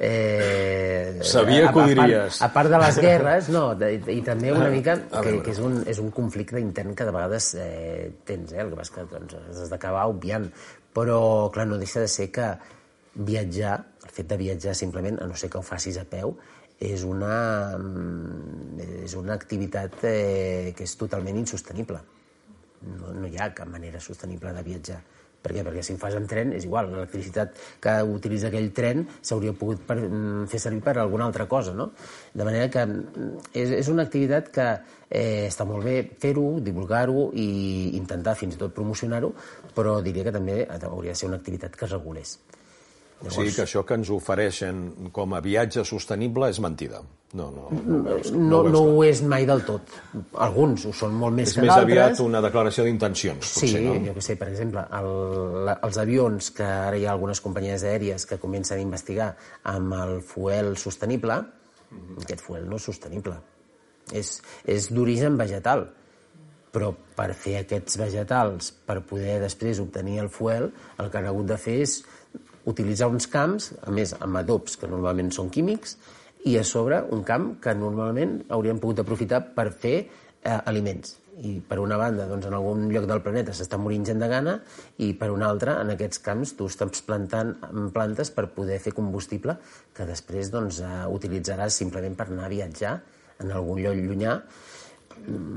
Eh, Sabia que ho diries. A part, a part de les guerres, no, de, i també una mica que, que és, un, és un conflicte intern que de vegades eh, tens, eh? El que passa que doncs, has d'acabar obviant. Però, clar, no deixa de ser que viatjar, el fet de viatjar simplement, a no ser que ho facis a peu, és una, és una activitat eh, que és totalment insostenible. No, no hi ha cap manera sostenible de viatjar. Per què? Perquè si ho fas en tren és igual, l'electricitat que utilitza aquell tren s'hauria pogut per, fer servir per alguna altra cosa, no? De manera que és, és una activitat que eh, està molt bé fer-ho, divulgar-ho i intentar fins i tot promocionar-ho, però diria que també hauria de ser una activitat que es regulés. Llavors... O sigui que això que ens ofereixen com a viatge sostenible és mentida. No, no, no, veus, no, no, no ho és mai del tot. Alguns ho són molt més és que d'altres. És més aviat una declaració d'intencions, potser, sí, no? Sí, jo què sé, per exemple, el, els avions, que ara hi ha algunes companyies aèries que comencen a investigar amb el fuel sostenible, mm-hmm. Aquest fuel no és sostenible. És, és d'origen vegetal. Però per fer aquests vegetals, per poder després obtenir el fuel, el que han hagut de fer és utilitzar uns camps, a més amb adobs que normalment són químics, i a sobre un camp que normalment hauríem pogut aprofitar per fer eh, aliments. I per una banda, doncs, en algun lloc del planeta s'està morint gent de gana i per una altra, en aquests camps, tu estàs plantant plantes per poder fer combustible que després doncs, eh, utilitzaràs simplement per anar a viatjar en algun lloc llunyà.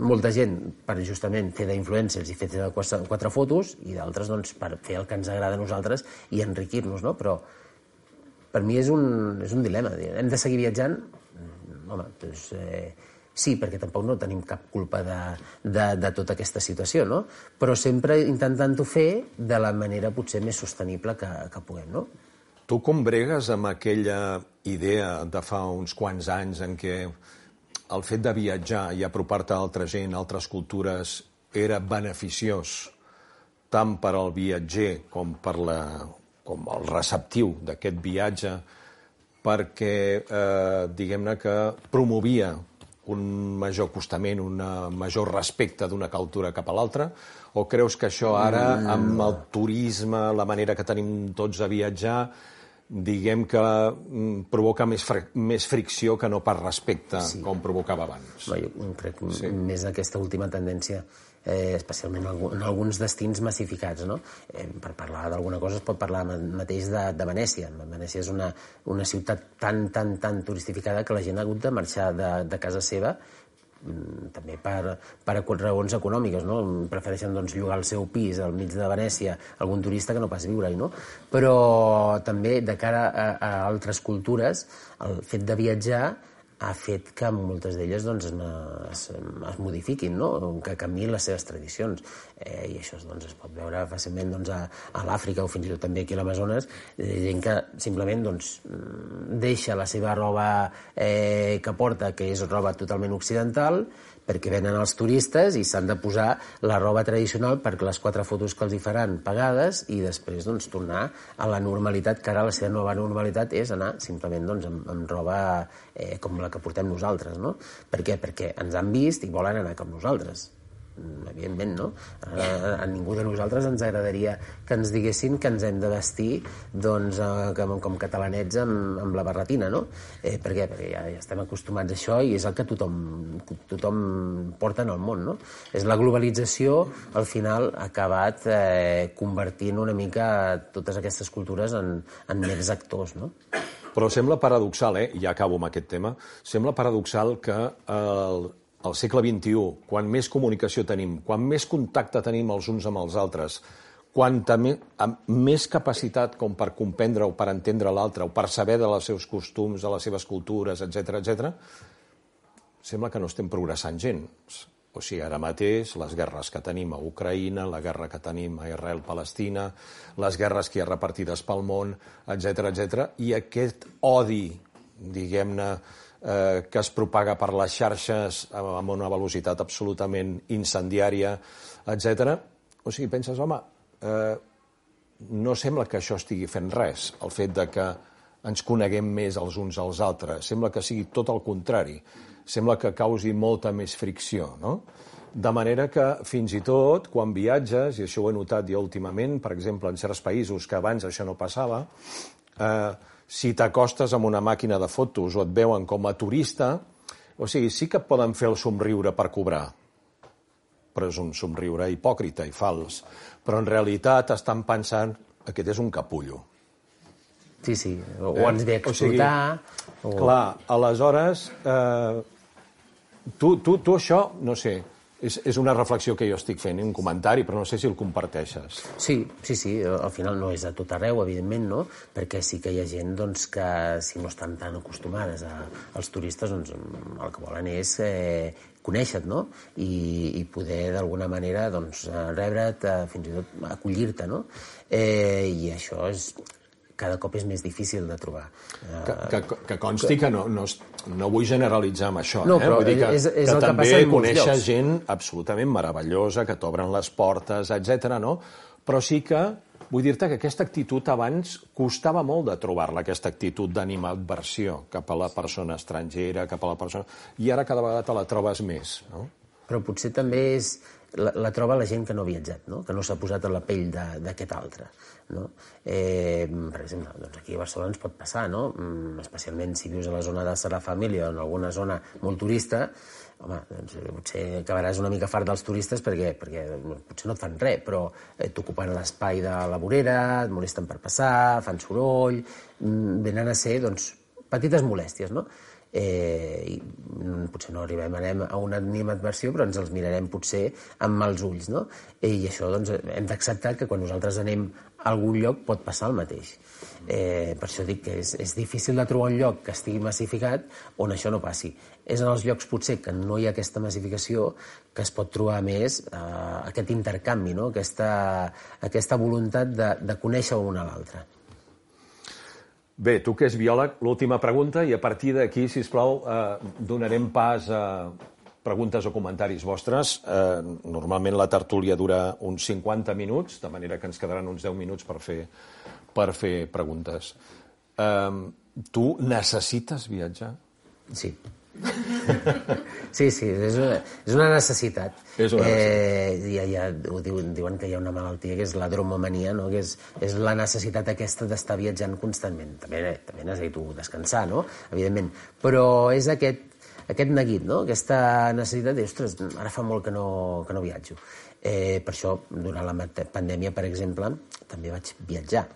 Molta gent per justament fer d'influencers i fer quatre fotos i d'altres doncs, per fer el que ens agrada a nosaltres i enriquir-nos, no? Però per mi és un, és un dilema. Hem de seguir viatjant? Home, doncs, eh, sí, perquè tampoc no tenim cap culpa de, de, de tota aquesta situació, no? Però sempre intentant-ho fer de la manera potser més sostenible que, que puguem, no? Tu com bregues amb aquella idea de fa uns quants anys en què el fet de viatjar i apropar-te a altra gent, a altres cultures, era beneficiós tant per al viatger com per la, com el receptiu d'aquest viatge, perquè, eh, diguem-ne, que promovia un major acostament, un major respecte d'una cultura cap a l'altra? O creus que això ara, amb el turisme, la manera que tenim tots de viatjar, diguem que provoca més, fr més fricció que no per respecte, sí, com provocava abans? No, jo crec sí. Més aquesta última tendència, eh, especialment en alguns destins massificats, no? Eh, per parlar d'alguna cosa es pot parlar mateix de, de Venècia. Venècia és una, una ciutat tan, tan, tan turistificada que la gent ha hagut de marxar de, de casa seva també per, per raons econòmiques, no? Prefereixen doncs, llogar el seu pis al mig de Venècia a algun turista que no pas viure-hi, no? Però també de cara a, a altres cultures el fet de viatjar ha fet que moltes d'elles doncs, es, es modifiquin, no? Que canviïn les seves tradicions. Eh, I això doncs, es pot veure fàcilment doncs, a, a l'Àfrica o fins i tot també aquí a l'Amazones, eh, gent que simplement doncs, deixa la seva roba eh, que porta, que és roba totalment occidental, perquè venen els turistes i s'han de posar la roba tradicional perquè les quatre fotos que els hi faran pagades i després doncs, tornar a la normalitat, que ara la seva nova normalitat és anar simplement doncs, amb, amb roba eh, com la que portem nosaltres. No? Per què? Perquè ens han vist i volen anar com nosaltres. Evidentment, no? A, a ningú de nosaltres ens agradaria que ens diguessin que ens hem de vestir doncs, com, com catalanets amb, amb la barretina, no? Eh, per què? Perquè ja, ja estem acostumats a això i és el que tothom, tothom porta en el món, no? És la globalització, al final, ha acabat eh, convertint una mica totes aquestes cultures en, en mers actors, no? Però sembla paradoxal, eh? Ja acabo amb aquest tema, sembla paradoxal que el al segle vint-i-u, quan més comunicació tenim, quan més contacte tenim els uns amb els altres, quan també, amb més capacitat com per comprendre o per entendre l'altre, o per saber dels seus costums, de les seves cultures, etcètera, etcètera, sembla que no estem progressant gens. O sigui, ara mateix, les guerres que tenim a Ucraïna, la guerra que tenim a Israel-Palestina, les guerres que hi ha repartides pel món, etcètera, etcètera, i aquest odi, diguem-ne, Eh, que es propaga per les xarxes amb una velocitat absolutament incendiària, etcètera. O sigui, penses, home, eh, no sembla que això estigui fent res, el fet de que ens coneguem més els uns als altres. Sembla que sigui tot el contrari. Sembla que causi molta més fricció, no? De manera que, fins i tot, quan viatges, i això ho he notat jo últimament, per exemple, en certs països que abans això no passava, eh, si t'acostes amb una màquina de fotos o et veuen com a turista, o sigui, sí que et poden fer el somriure per cobrar, però és un somriure hipòcrita i fals. Però en realitat estan pensant que aquest és un capullo. Sí, sí, o eh? ens ve a explotar... O sigui, o... Clar, aleshores, eh, tu, tu, tu això, no sé, és, és una reflexió que jo estic fent, un comentari, però no sé si el comparteixes. Sí, sí, sí, al final no és a tot arreu, evidentment, no? Perquè sí que hi ha gent doncs, que, si no estan tan acostumades a, als turistes, doncs el que volen és eh, conèixer-te, no? I, i poder, d'alguna manera, doncs, rebre't, fins i tot acollir-te, no? Eh, I això és... cada cop és més difícil de trobar. Que, que, que consti que no, no, no vull generalitzar amb això, no, eh? Vull dir que, és, és que el també que conèixer gent absolutament meravellosa, que t'obren les portes, etcètera, no? Però sí que vull dir-te que aquesta actitud abans costava molt de trobar-la, aquesta actitud d'animadversió cap a la persona estrangera, cap a la persona... I ara cada vegada te la trobes més, no? Però potser també és... La, la troba la gent que no ha viatjat, no? Que no s'ha posat a la pell d'aquest altre. No? Eh, per exemple, doncs aquí a Barcelona ens pot passar, no? Especialment si vius a la zona de Sagrada Família o en alguna zona molt turista, home, doncs, potser acabaràs una mica fart dels turistes perquè, perquè potser no et fan res, però eh, t'ocupen l'espai de la vorera, et molesten per passar, fan soroll, venen a ser doncs, petites molèsties, no? Eh, i potser no arribem a una animadversió, però ens els mirarem potser amb mals ulls, no? I això doncs, hem d'acceptar que quan nosaltres anem a algun lloc pot passar el mateix. Eh, per això dic que és, és difícil de trobar un lloc que estigui massificat on això no passi. És en els llocs potser que no hi ha aquesta massificació que es pot trobar més eh, aquest intercanvi, no? aquesta, aquesta voluntat de, de conèixer un a l'altre. Bé, tu que ets biòleg, l'última pregunta, i a partir d'aquí, sisplau, eh, donarem pas a preguntes o comentaris vostres. Eh, normalment la tertúlia dura uns cinquanta minuts, de manera que ens quedaran uns deu minuts per fer, per fer preguntes. Eh, tu necessites viatjar? Sí. Sí, sí, és una, és una necessitat. És una necessitat. Eh, ja, ja ho diuen, diuen que hi ha una malaltia que és la dromomania, no? Que és, és la necessitat aquesta d'estar viatjant constantment. També, també necessito descansar, no? Evidentment. Però és aquest, aquest neguit, no? Aquesta necessitat de, ostres, ara fa molt que no, que no viatjo. Eh, per això, durant la pandèmia, per exemple, també vaig viatjar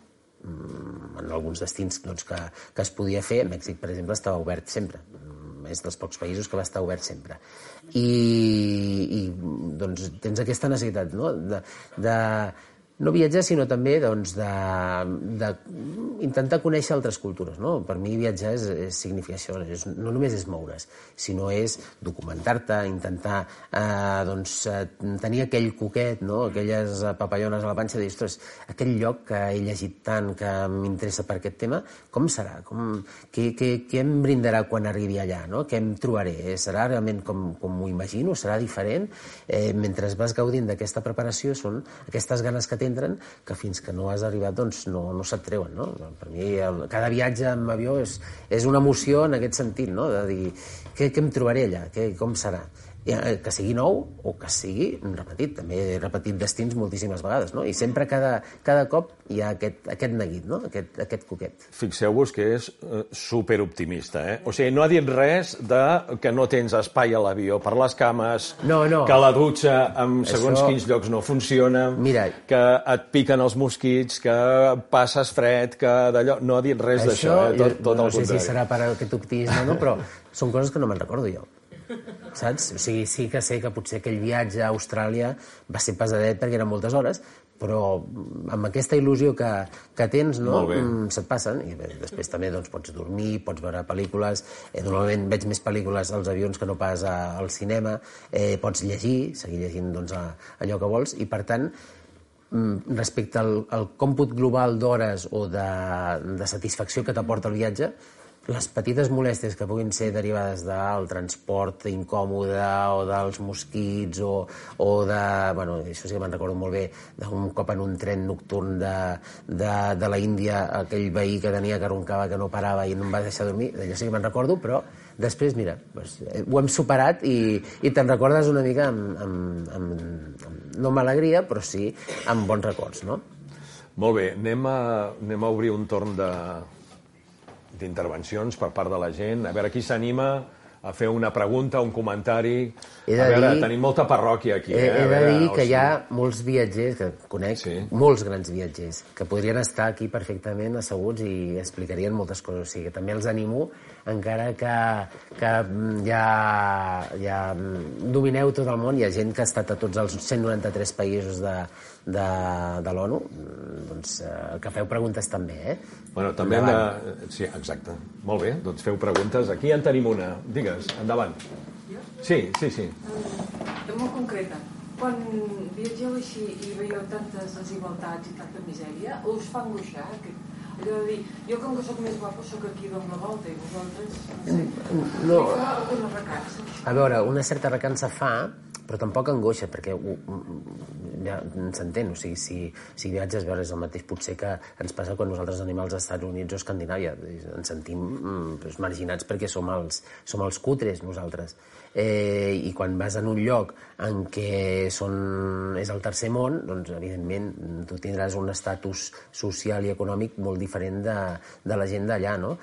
en alguns destins doncs, que, que es podia fer. Mèxic, per exemple, estava obert sempre. És dels pocs països que va estar obert sempre. I, i doncs, tens aquesta necessitat, no? de, de no viatjar, sinó també doncs, d'intentar conèixer altres cultures. No? Per mi viatjar és, és significar això, és, no només és moure's, sinó és documentar-te, intentar eh, doncs, tenir aquell coquet, no? Aquelles papallones a la panxa, de dir, ostres, aquell lloc que he llegit tant, que m'interessa per aquest tema, com serà? Com, què, què, què em brindarà quan arribi allà? No? Què em trobaré? Serà realment com, com m'ho imagino? Serà diferent? Eh, mentre vas gaudint d'aquesta preparació, són aquestes ganes que t'entren que fins que no has arribat doncs no, no se't treuen. No? Per mi el, cada viatge amb avió és, és una emoció en aquest sentit, no? De dir què, què em trobaré allà, què, com serà. Que sigui nou o que sigui repetit. També he repetit destins moltíssimes vegades, no? I sempre, cada, cada cop, hi ha aquest, aquest neguit, no? Aquest, aquest coquet. Fixeu-vos que és uh, superoptimista, eh? O sigui, no ha dit res de que no tens espai a l'avió per les cames, no, no. que la dutxa en segons Això... quins llocs no funciona, Mira... que et piquen els mosquits, que passes fred, que d'allò... No ha dit res d'això, eh? Tot, tot no el sé contrari. Si serà per aquest optimisme o no, però són coses que no me'n recordo jo. Saps? O sigui, sí que sé que potser aquell viatge a Austràlia va ser pesadet perquè eren moltes hores, però amb aquesta il·lusió que, que tens, no? Se't passen. I bé, després també doncs, pots dormir, pots veure pel·lícules. Eh, normalment veig més pel·lícules als avions que no pas a, al cinema. Eh, pots llegir, seguir llegint doncs, a, allò que vols. I, per tant, respecte al, al còmput global d'hores o de, de satisfacció que t'aporta el viatge, les petites molèsties que puguin ser derivades del transport incòmode o dels mosquits o, o de... Bueno, això sí que me'n recordo molt bé, d'un cop en un tren nocturn de, de, de la Índia, aquell veí que tenia que roncava, que no parava i no em va deixar dormir, d'allò sí que me'n recordo, però després, mira, doncs, ho hem superat i, i te'n recordes una mica amb, amb, amb, amb, no amb alegria, però sí amb bons records, no? Molt bé, anem a, anem a obrir un torn de... d'intervencions per part de la gent. A veure qui s'anima a fer una pregunta, un comentari. A veure, dir, tenim molta parròquia aquí. He, eh? he de veure, dir que sigui... hi ha molts viatgers, que conec, sí. molts grans viatgers, que podrien estar aquí perfectament asseguts i explicarien moltes coses. O sigui, que també els animo, encara que, que ja, ja domineu tot el món, hi ha gent que ha estat a tots els cent noranta-tres països de, de, de l'ONU, doncs que feu preguntes també, eh? Bueno, també hem de... Sí, exacte. Molt bé, doncs feu preguntes. Aquí en tenim una. Digues, endavant. Jo? Sí, sí, sí. De molt concreta. Quan viatgeu així i veieu tantes desigualtats i tanta misèria, us fa angoixar? Allò de dir, jo com que sóc més guapo sóc aquí dono la volta i vosaltres, no sé, no. Fa alguna recança? A veure, una certa recança fa, però tampoc angoixa, perquè uh, ja s'entén, o sigui, si, si viatges, veure, és el mateix potser que ens passa quan nosaltres anem als Estats Units o Escandinàvia, ens sentim doncs, marginats perquè som els, som els cutres nosaltres. Eh, I quan vas en un lloc en què són, és el tercer món, doncs evidentment tu tindràs un estatus social i econòmic molt diferent de, de la gent d'allà, no?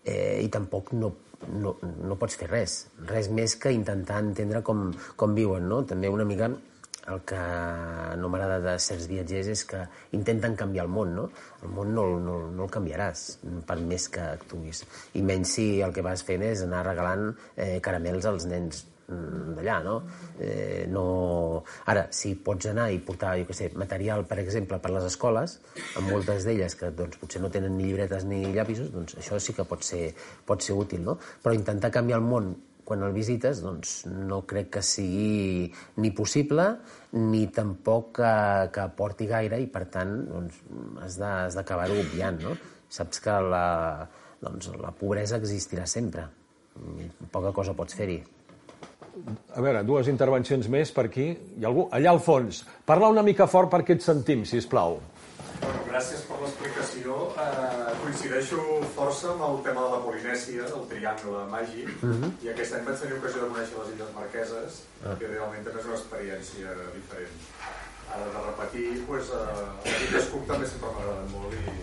Eh, I tampoc no No, no pots fer res, res més que intentar entendre com, com viuen, no? També una mica el que no m'agrada de certs viatgers és que intenten canviar el món, no? El món no, no, no el canviaràs per més que actuïs, i menys si el que vas fent és anar regalant eh, caramels als nens d'allà, no? Eh, no... Ara, si pots anar i portar, jo què sé, material, per exemple, per les escoles, amb moltes d'elles que doncs, potser no tenen ni llibretes ni llapisos, doncs això sí que pot ser, pot ser útil, no? Però intentar canviar el món quan el visites, doncs no crec que sigui ni possible ni tampoc que, que aporti gaire i, per tant, doncs, has de, has d'acabar-ho obviant, no? Saps que la, doncs, la pobresa existirà sempre. Poca cosa pots fer-hi. A veure, dues intervencions més per aquí. Hi ha algú? Allà al fons. Parla una mica fort perquè et sentim, sisplau. Bueno, gràcies per l'explicació. Eh, coincideixo força amb el tema de la Polinèsia, del triangle màgic, uh-huh. i aquest any vaig tenir ocasió de conèixer les Illes Marqueses, uh-huh. que realment també és una experiència diferent. Ara de repetir, doncs, eh, els Illes Cook també sempre m'agraden molt i,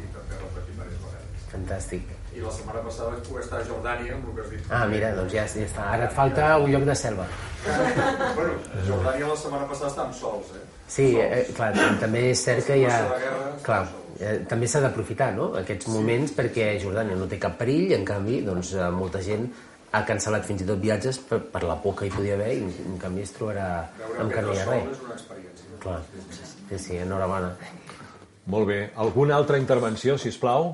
i també repetir diverses vegades. Fantàstic. I la setmana passada vaig poder estar a Jordània, amb el que has dit. Ah, mira, doncs ja, ja està. Ara et falta un lloc de selva. Bueno, a Jordània la setmana passada estàvem sols, eh? Sí, eh, clar, també és cert que hi ha... Guerra, clar, eh, també s'ha d'aprofitar, no?, aquests moments, sí. Perquè Jordània no té cap perill, en canvi, doncs, molta gent ha cancel·lat fins i tot viatges per, per la por que hi podia haver i, en canvi, es trobarà amb que no hi ha res. És una experiència. Clar. Sí, sí, enhorabona. Molt bé. Alguna altra intervenció, sisplau?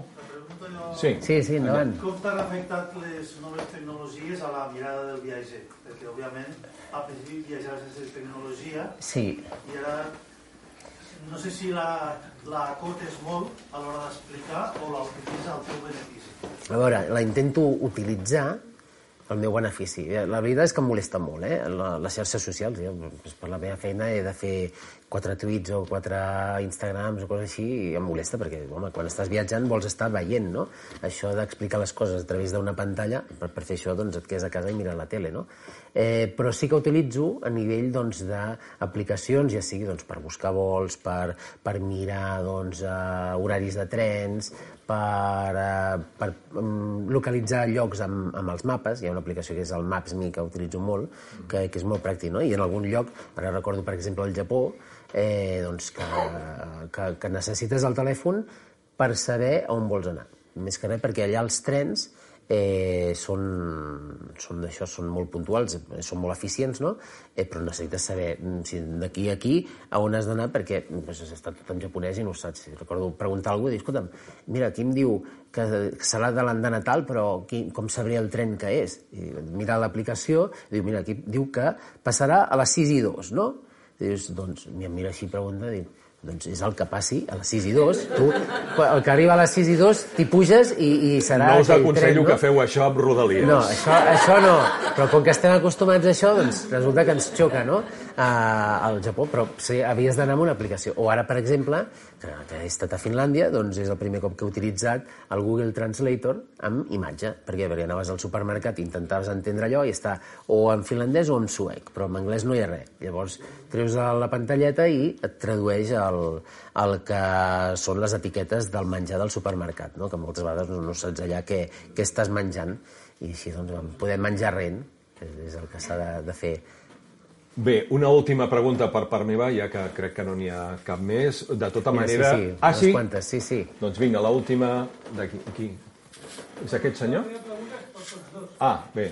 Sí, sí, sí, endavant. Com t'han afectat les noves tecnologies a la mirada del viatger? Perquè, òbviament, al principi viatjar sense tecnologia sí. I ara no sé si la, la acotes molt a l'hora d'explicar o la utilitza al teu benefici. A veure, la intento utilitzar el meu benefici. La veritat és que em molesta molt, eh? Les xarxes socials. Jo, per la meva feina, he de fer quatre tuits o quatre Instagrams o coses així, i em molesta, perquè, home, quan estàs viatjant vols estar veient, no? Això d'explicar les coses a través d'una pantalla, per, per fer això, doncs, et quedes a casa i mires la tele, no? Eh, però sí que utilitzo a nivell, doncs, d'aplicacions, ja sigui, doncs, per buscar vols, per, per mirar, doncs, uh, horaris de trens, per, uh, per um, localitzar llocs amb, amb els mapes. Hi ha una aplicació que és el Maps.me, que utilitzo molt, que, que és molt pràctic, no? I en algun lloc, ara recordo, per exemple, el Japó, eh, doncs que, que, que necessites el telèfon per saber on vols anar. Més que res perquè allà els trens eh, són, són d'això, són molt puntuals, són molt eficients, no? Eh, però necessites saber si d'aquí a aquí a on has d'anar, perquè pues, està tot en japonès i no ho saps. Recordo preguntar a algú i dir, escolta'm, mira, aquí em diu que serà de l'andana tal, però qui, com sabré el tren que és? I mira l'aplicació, diu, mira, aquí diu que passarà a les sis i dos, no? I dius, doncs, em mira així i pregunta, dic, doncs és el que passi a les sis i dos. Tu, el que arriba a les sis i dos, t'hi puges i, i serà no us aquell aconsello tren, no? Que feu això amb Rodalies. No, això, això no. Però com que estem acostumats a això, doncs resulta que ens xoca, no? A, al Japó, però sí, havies d'anar amb una aplicació. O ara, per exemple, que, que he estat a Finlàndia, doncs és el primer cop que he utilitzat el Google Translator amb imatge, perquè, perquè anaves al supermercat i intentaves entendre allò i està o en finlandès o en suec, però en anglès no hi ha res. Llavors treus la pantalleta i et tradueix el, el que són les etiquetes del menjar del supermercat, no? Que moltes vegades no, no saps allà què, què estàs menjant, i així doncs, podem menjar rent, és el que s'ha de, de fer. Bé, una última pregunta per part meva, ja que crec que no n'hi ha cap més. De tota Mira, manera... Sí, sí, ah, sí? Quantes, sí, sí. Doncs vinga, l'última d'aquí. Aquí. És aquest senyor? Ah, bé.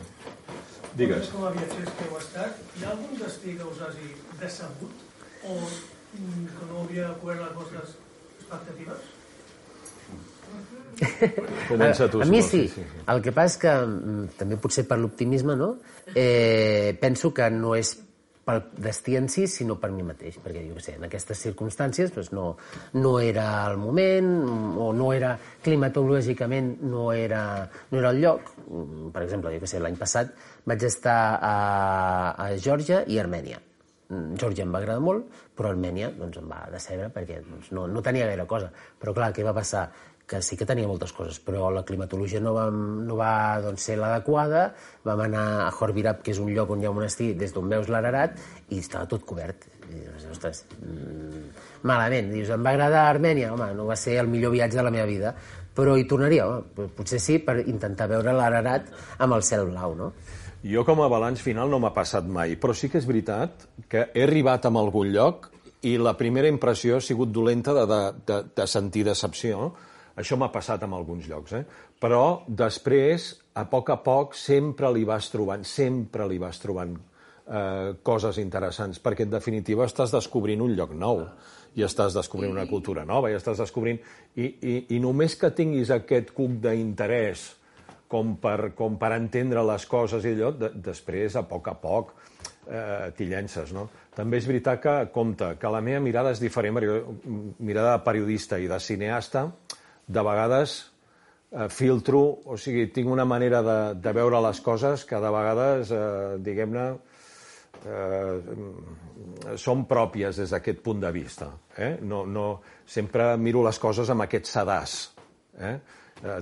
Digues. Com a viatgers que heu estat, hi ha algun destí que us hagi decebut o que no hauria cobert les vostres expectatives? Comença tu. A, a mi sí. sí, sí. El que passa és que, també potser per l'optimisme, no? Eh, penso que no és pel destí en si, sinó per mi mateix, perquè jo què sé, en aquestes circumstàncies doncs no, no era el moment, o no era climatològicament, no era, no era el lloc. Per exemple, jo què sé, l'any passat vaig estar a, a Geòrgia i Armènia. Geòrgia em va agradar molt, però Armènia doncs, em va decebre perquè doncs, no, no tenia gaire cosa. Però clar, què va passar? Que sí que tenia moltes coses, però la climatologia no va, no va doncs, ser l'adequada. Vam anar a Khor-Virab, que és un lloc on hi ha un monestir des d'on veus l'Ararat, i estava tot cobert. I dius, ostres, mmm, malament. Dius, em va agradar Armènia? Home, no va ser el millor viatge de la meva vida, però hi tornaria, home, potser sí, per intentar veure l'Ararat amb el cel blau, no? Jo com a balanç final no m'ha passat mai, però sí que és veritat que he arribat a algun lloc i la primera impressió ha sigut dolenta de, de, de, de sentir decepció. Això m'ha passat en alguns llocs, eh? Però després, a poc a poc, sempre li vas trobant, sempre li vas trobant eh, coses interessants, perquè en definitiva estàs descobrint un lloc nou, i estàs descobrint una cultura nova, i estàs descobrint... I, i, i només que tinguis aquest cuc d'interès com per, com per entendre les coses i allò, de, després, a poc a poc, eh, t'hi llences, no? També és veritat que, compte, que la meva mirada és diferent, mirada de periodista i de cineasta, de vegades eh, filtro, o sigui, tinc una manera de, de veure les coses que de vegades, eh, diguem-ne, eh, són pròpies des d'aquest punt de vista. Eh? No, no, sempre miro les coses amb aquest sedàs. Eh?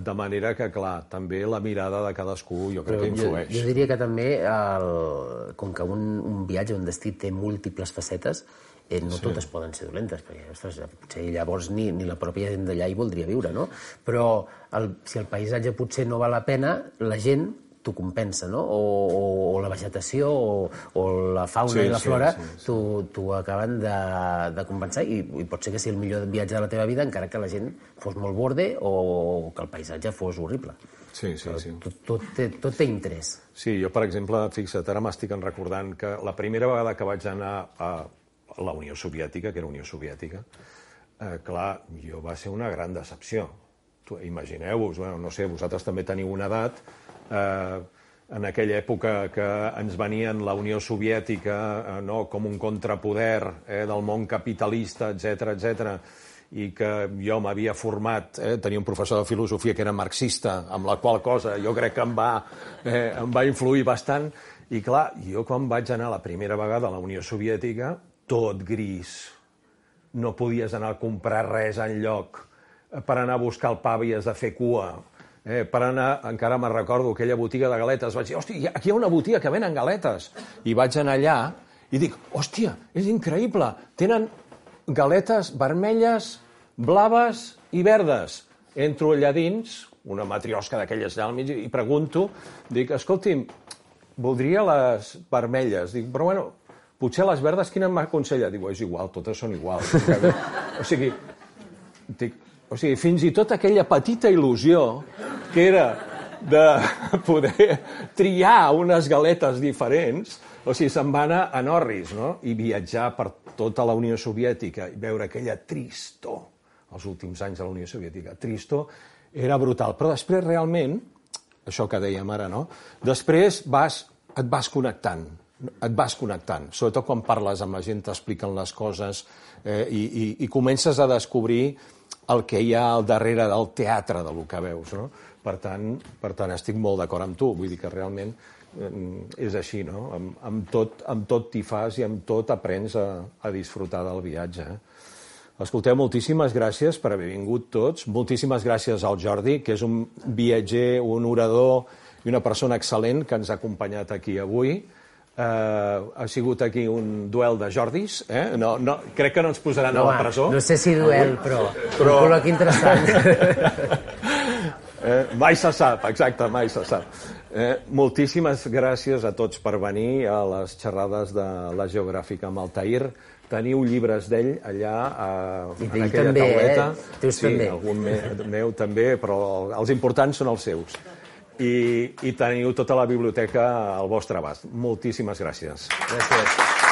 De manera que, clar, també la mirada de cadascú jo crec Però que influeix. Jo, jo diria que també, el, com que un, un viatge, un destí té múltiples facetes, Eh, no sí. Totes poden ser dolentes, perquè ostres, potser llavors ni, ni la pròpia gent d'allà hi voldria viure, no? Però el, si el paisatge potser no val la pena, la gent t'ho compensa, no? O, o, o la vegetació o, o la fauna sí, i la flora sí, sí, sí. t'ho acaben de, de compensar i, i pot ser que sigui el millor viatge de la teva vida encara que la gent fos molt borde o que el paisatge fos horrible. Sí, sí, sí. Tot, tot, té, tot té interès. Sí, jo, per exemple, fixa't, ara m'estic recordant que la primera vegada que vaig anar a la Unió Soviètica, que era Unió Soviètica, eh, clar, jo va ser una gran decepció. Imagineu-vos, bueno, no sé, vosaltres també teniu una edat, eh, en aquella època que ens venien la Unió Soviètica eh, no, com un contrapoder eh, del món capitalista, etcètera, etcètera, i que jo m'havia format, eh, tenia un professor de filosofia que era marxista, amb la qual cosa jo crec que em va, eh, em va influir bastant, i clar, jo quan vaig anar la primera vegada a la Unió Soviètica, tot gris, no podies anar a comprar res enlloc, per anar a buscar el pa havies de fer cua, eh, per anar, encara me'n recordo, aquella botiga de galetes, vaig dir, hòstia, aquí hi ha una botiga que venen galetes, i vaig anar allà i dic, hòstia, és increïble, tenen galetes vermelles, blaves i verdes. Entro allà dins, una matriosca d'aquelles allà al mig, i pregunto, dic, escolti'm, voldria les vermelles. Dic, però bueno, potser les verdes quina m'aconsella? Dic, és igual, totes són iguals. O sigui, dic, o sigui, fins i tot aquella petita il·lusió que era de poder triar unes galetes diferents, o sigui, se'n va anar a Norris, no? I viatjar per tota la Unió Soviètica i veure aquella tristor, els últims anys de la Unió Soviètica, tristor, era brutal. Però després, realment, això que dèiem ara, no? Després vas, et vas connectant, et vas connectant, sobretot quan parles amb la gent, t'expliquen les coses eh, i, i, i comences a descobrir el que hi ha al darrere del teatre del que veus, no? Per tant, per tant, estic molt d'acord amb tu, vull dir que realment és així, no? Amb, amb tot, amb tot t'hi fas i amb tot aprens a, a disfrutar del viatge. Eh? Escolteu, moltíssimes gràcies per haver vingut tots, moltíssimes gràcies al Jordi, que és un viatger, un orador i una persona excel·lent que ens ha acompanyat aquí avui. Uh, ha sigut aquí un duel de Jordis, eh? no, no, crec que no ens posaran no, a la presó. No sé si duel, però, però... un col·loqui interessant. eh, mai se sap, exacte, mai se sap. Eh, moltíssimes gràcies a tots per venir a les xerrades de la Geogràfica amb Altair. Teniu llibres d'ell allà a, en aquella també, tauleta. Eh? Teus sí, també. algun me, meu també, però els importants són els seus. I, i teniu tota la biblioteca al vostre abast. Moltíssimes gràcies. Gràcies.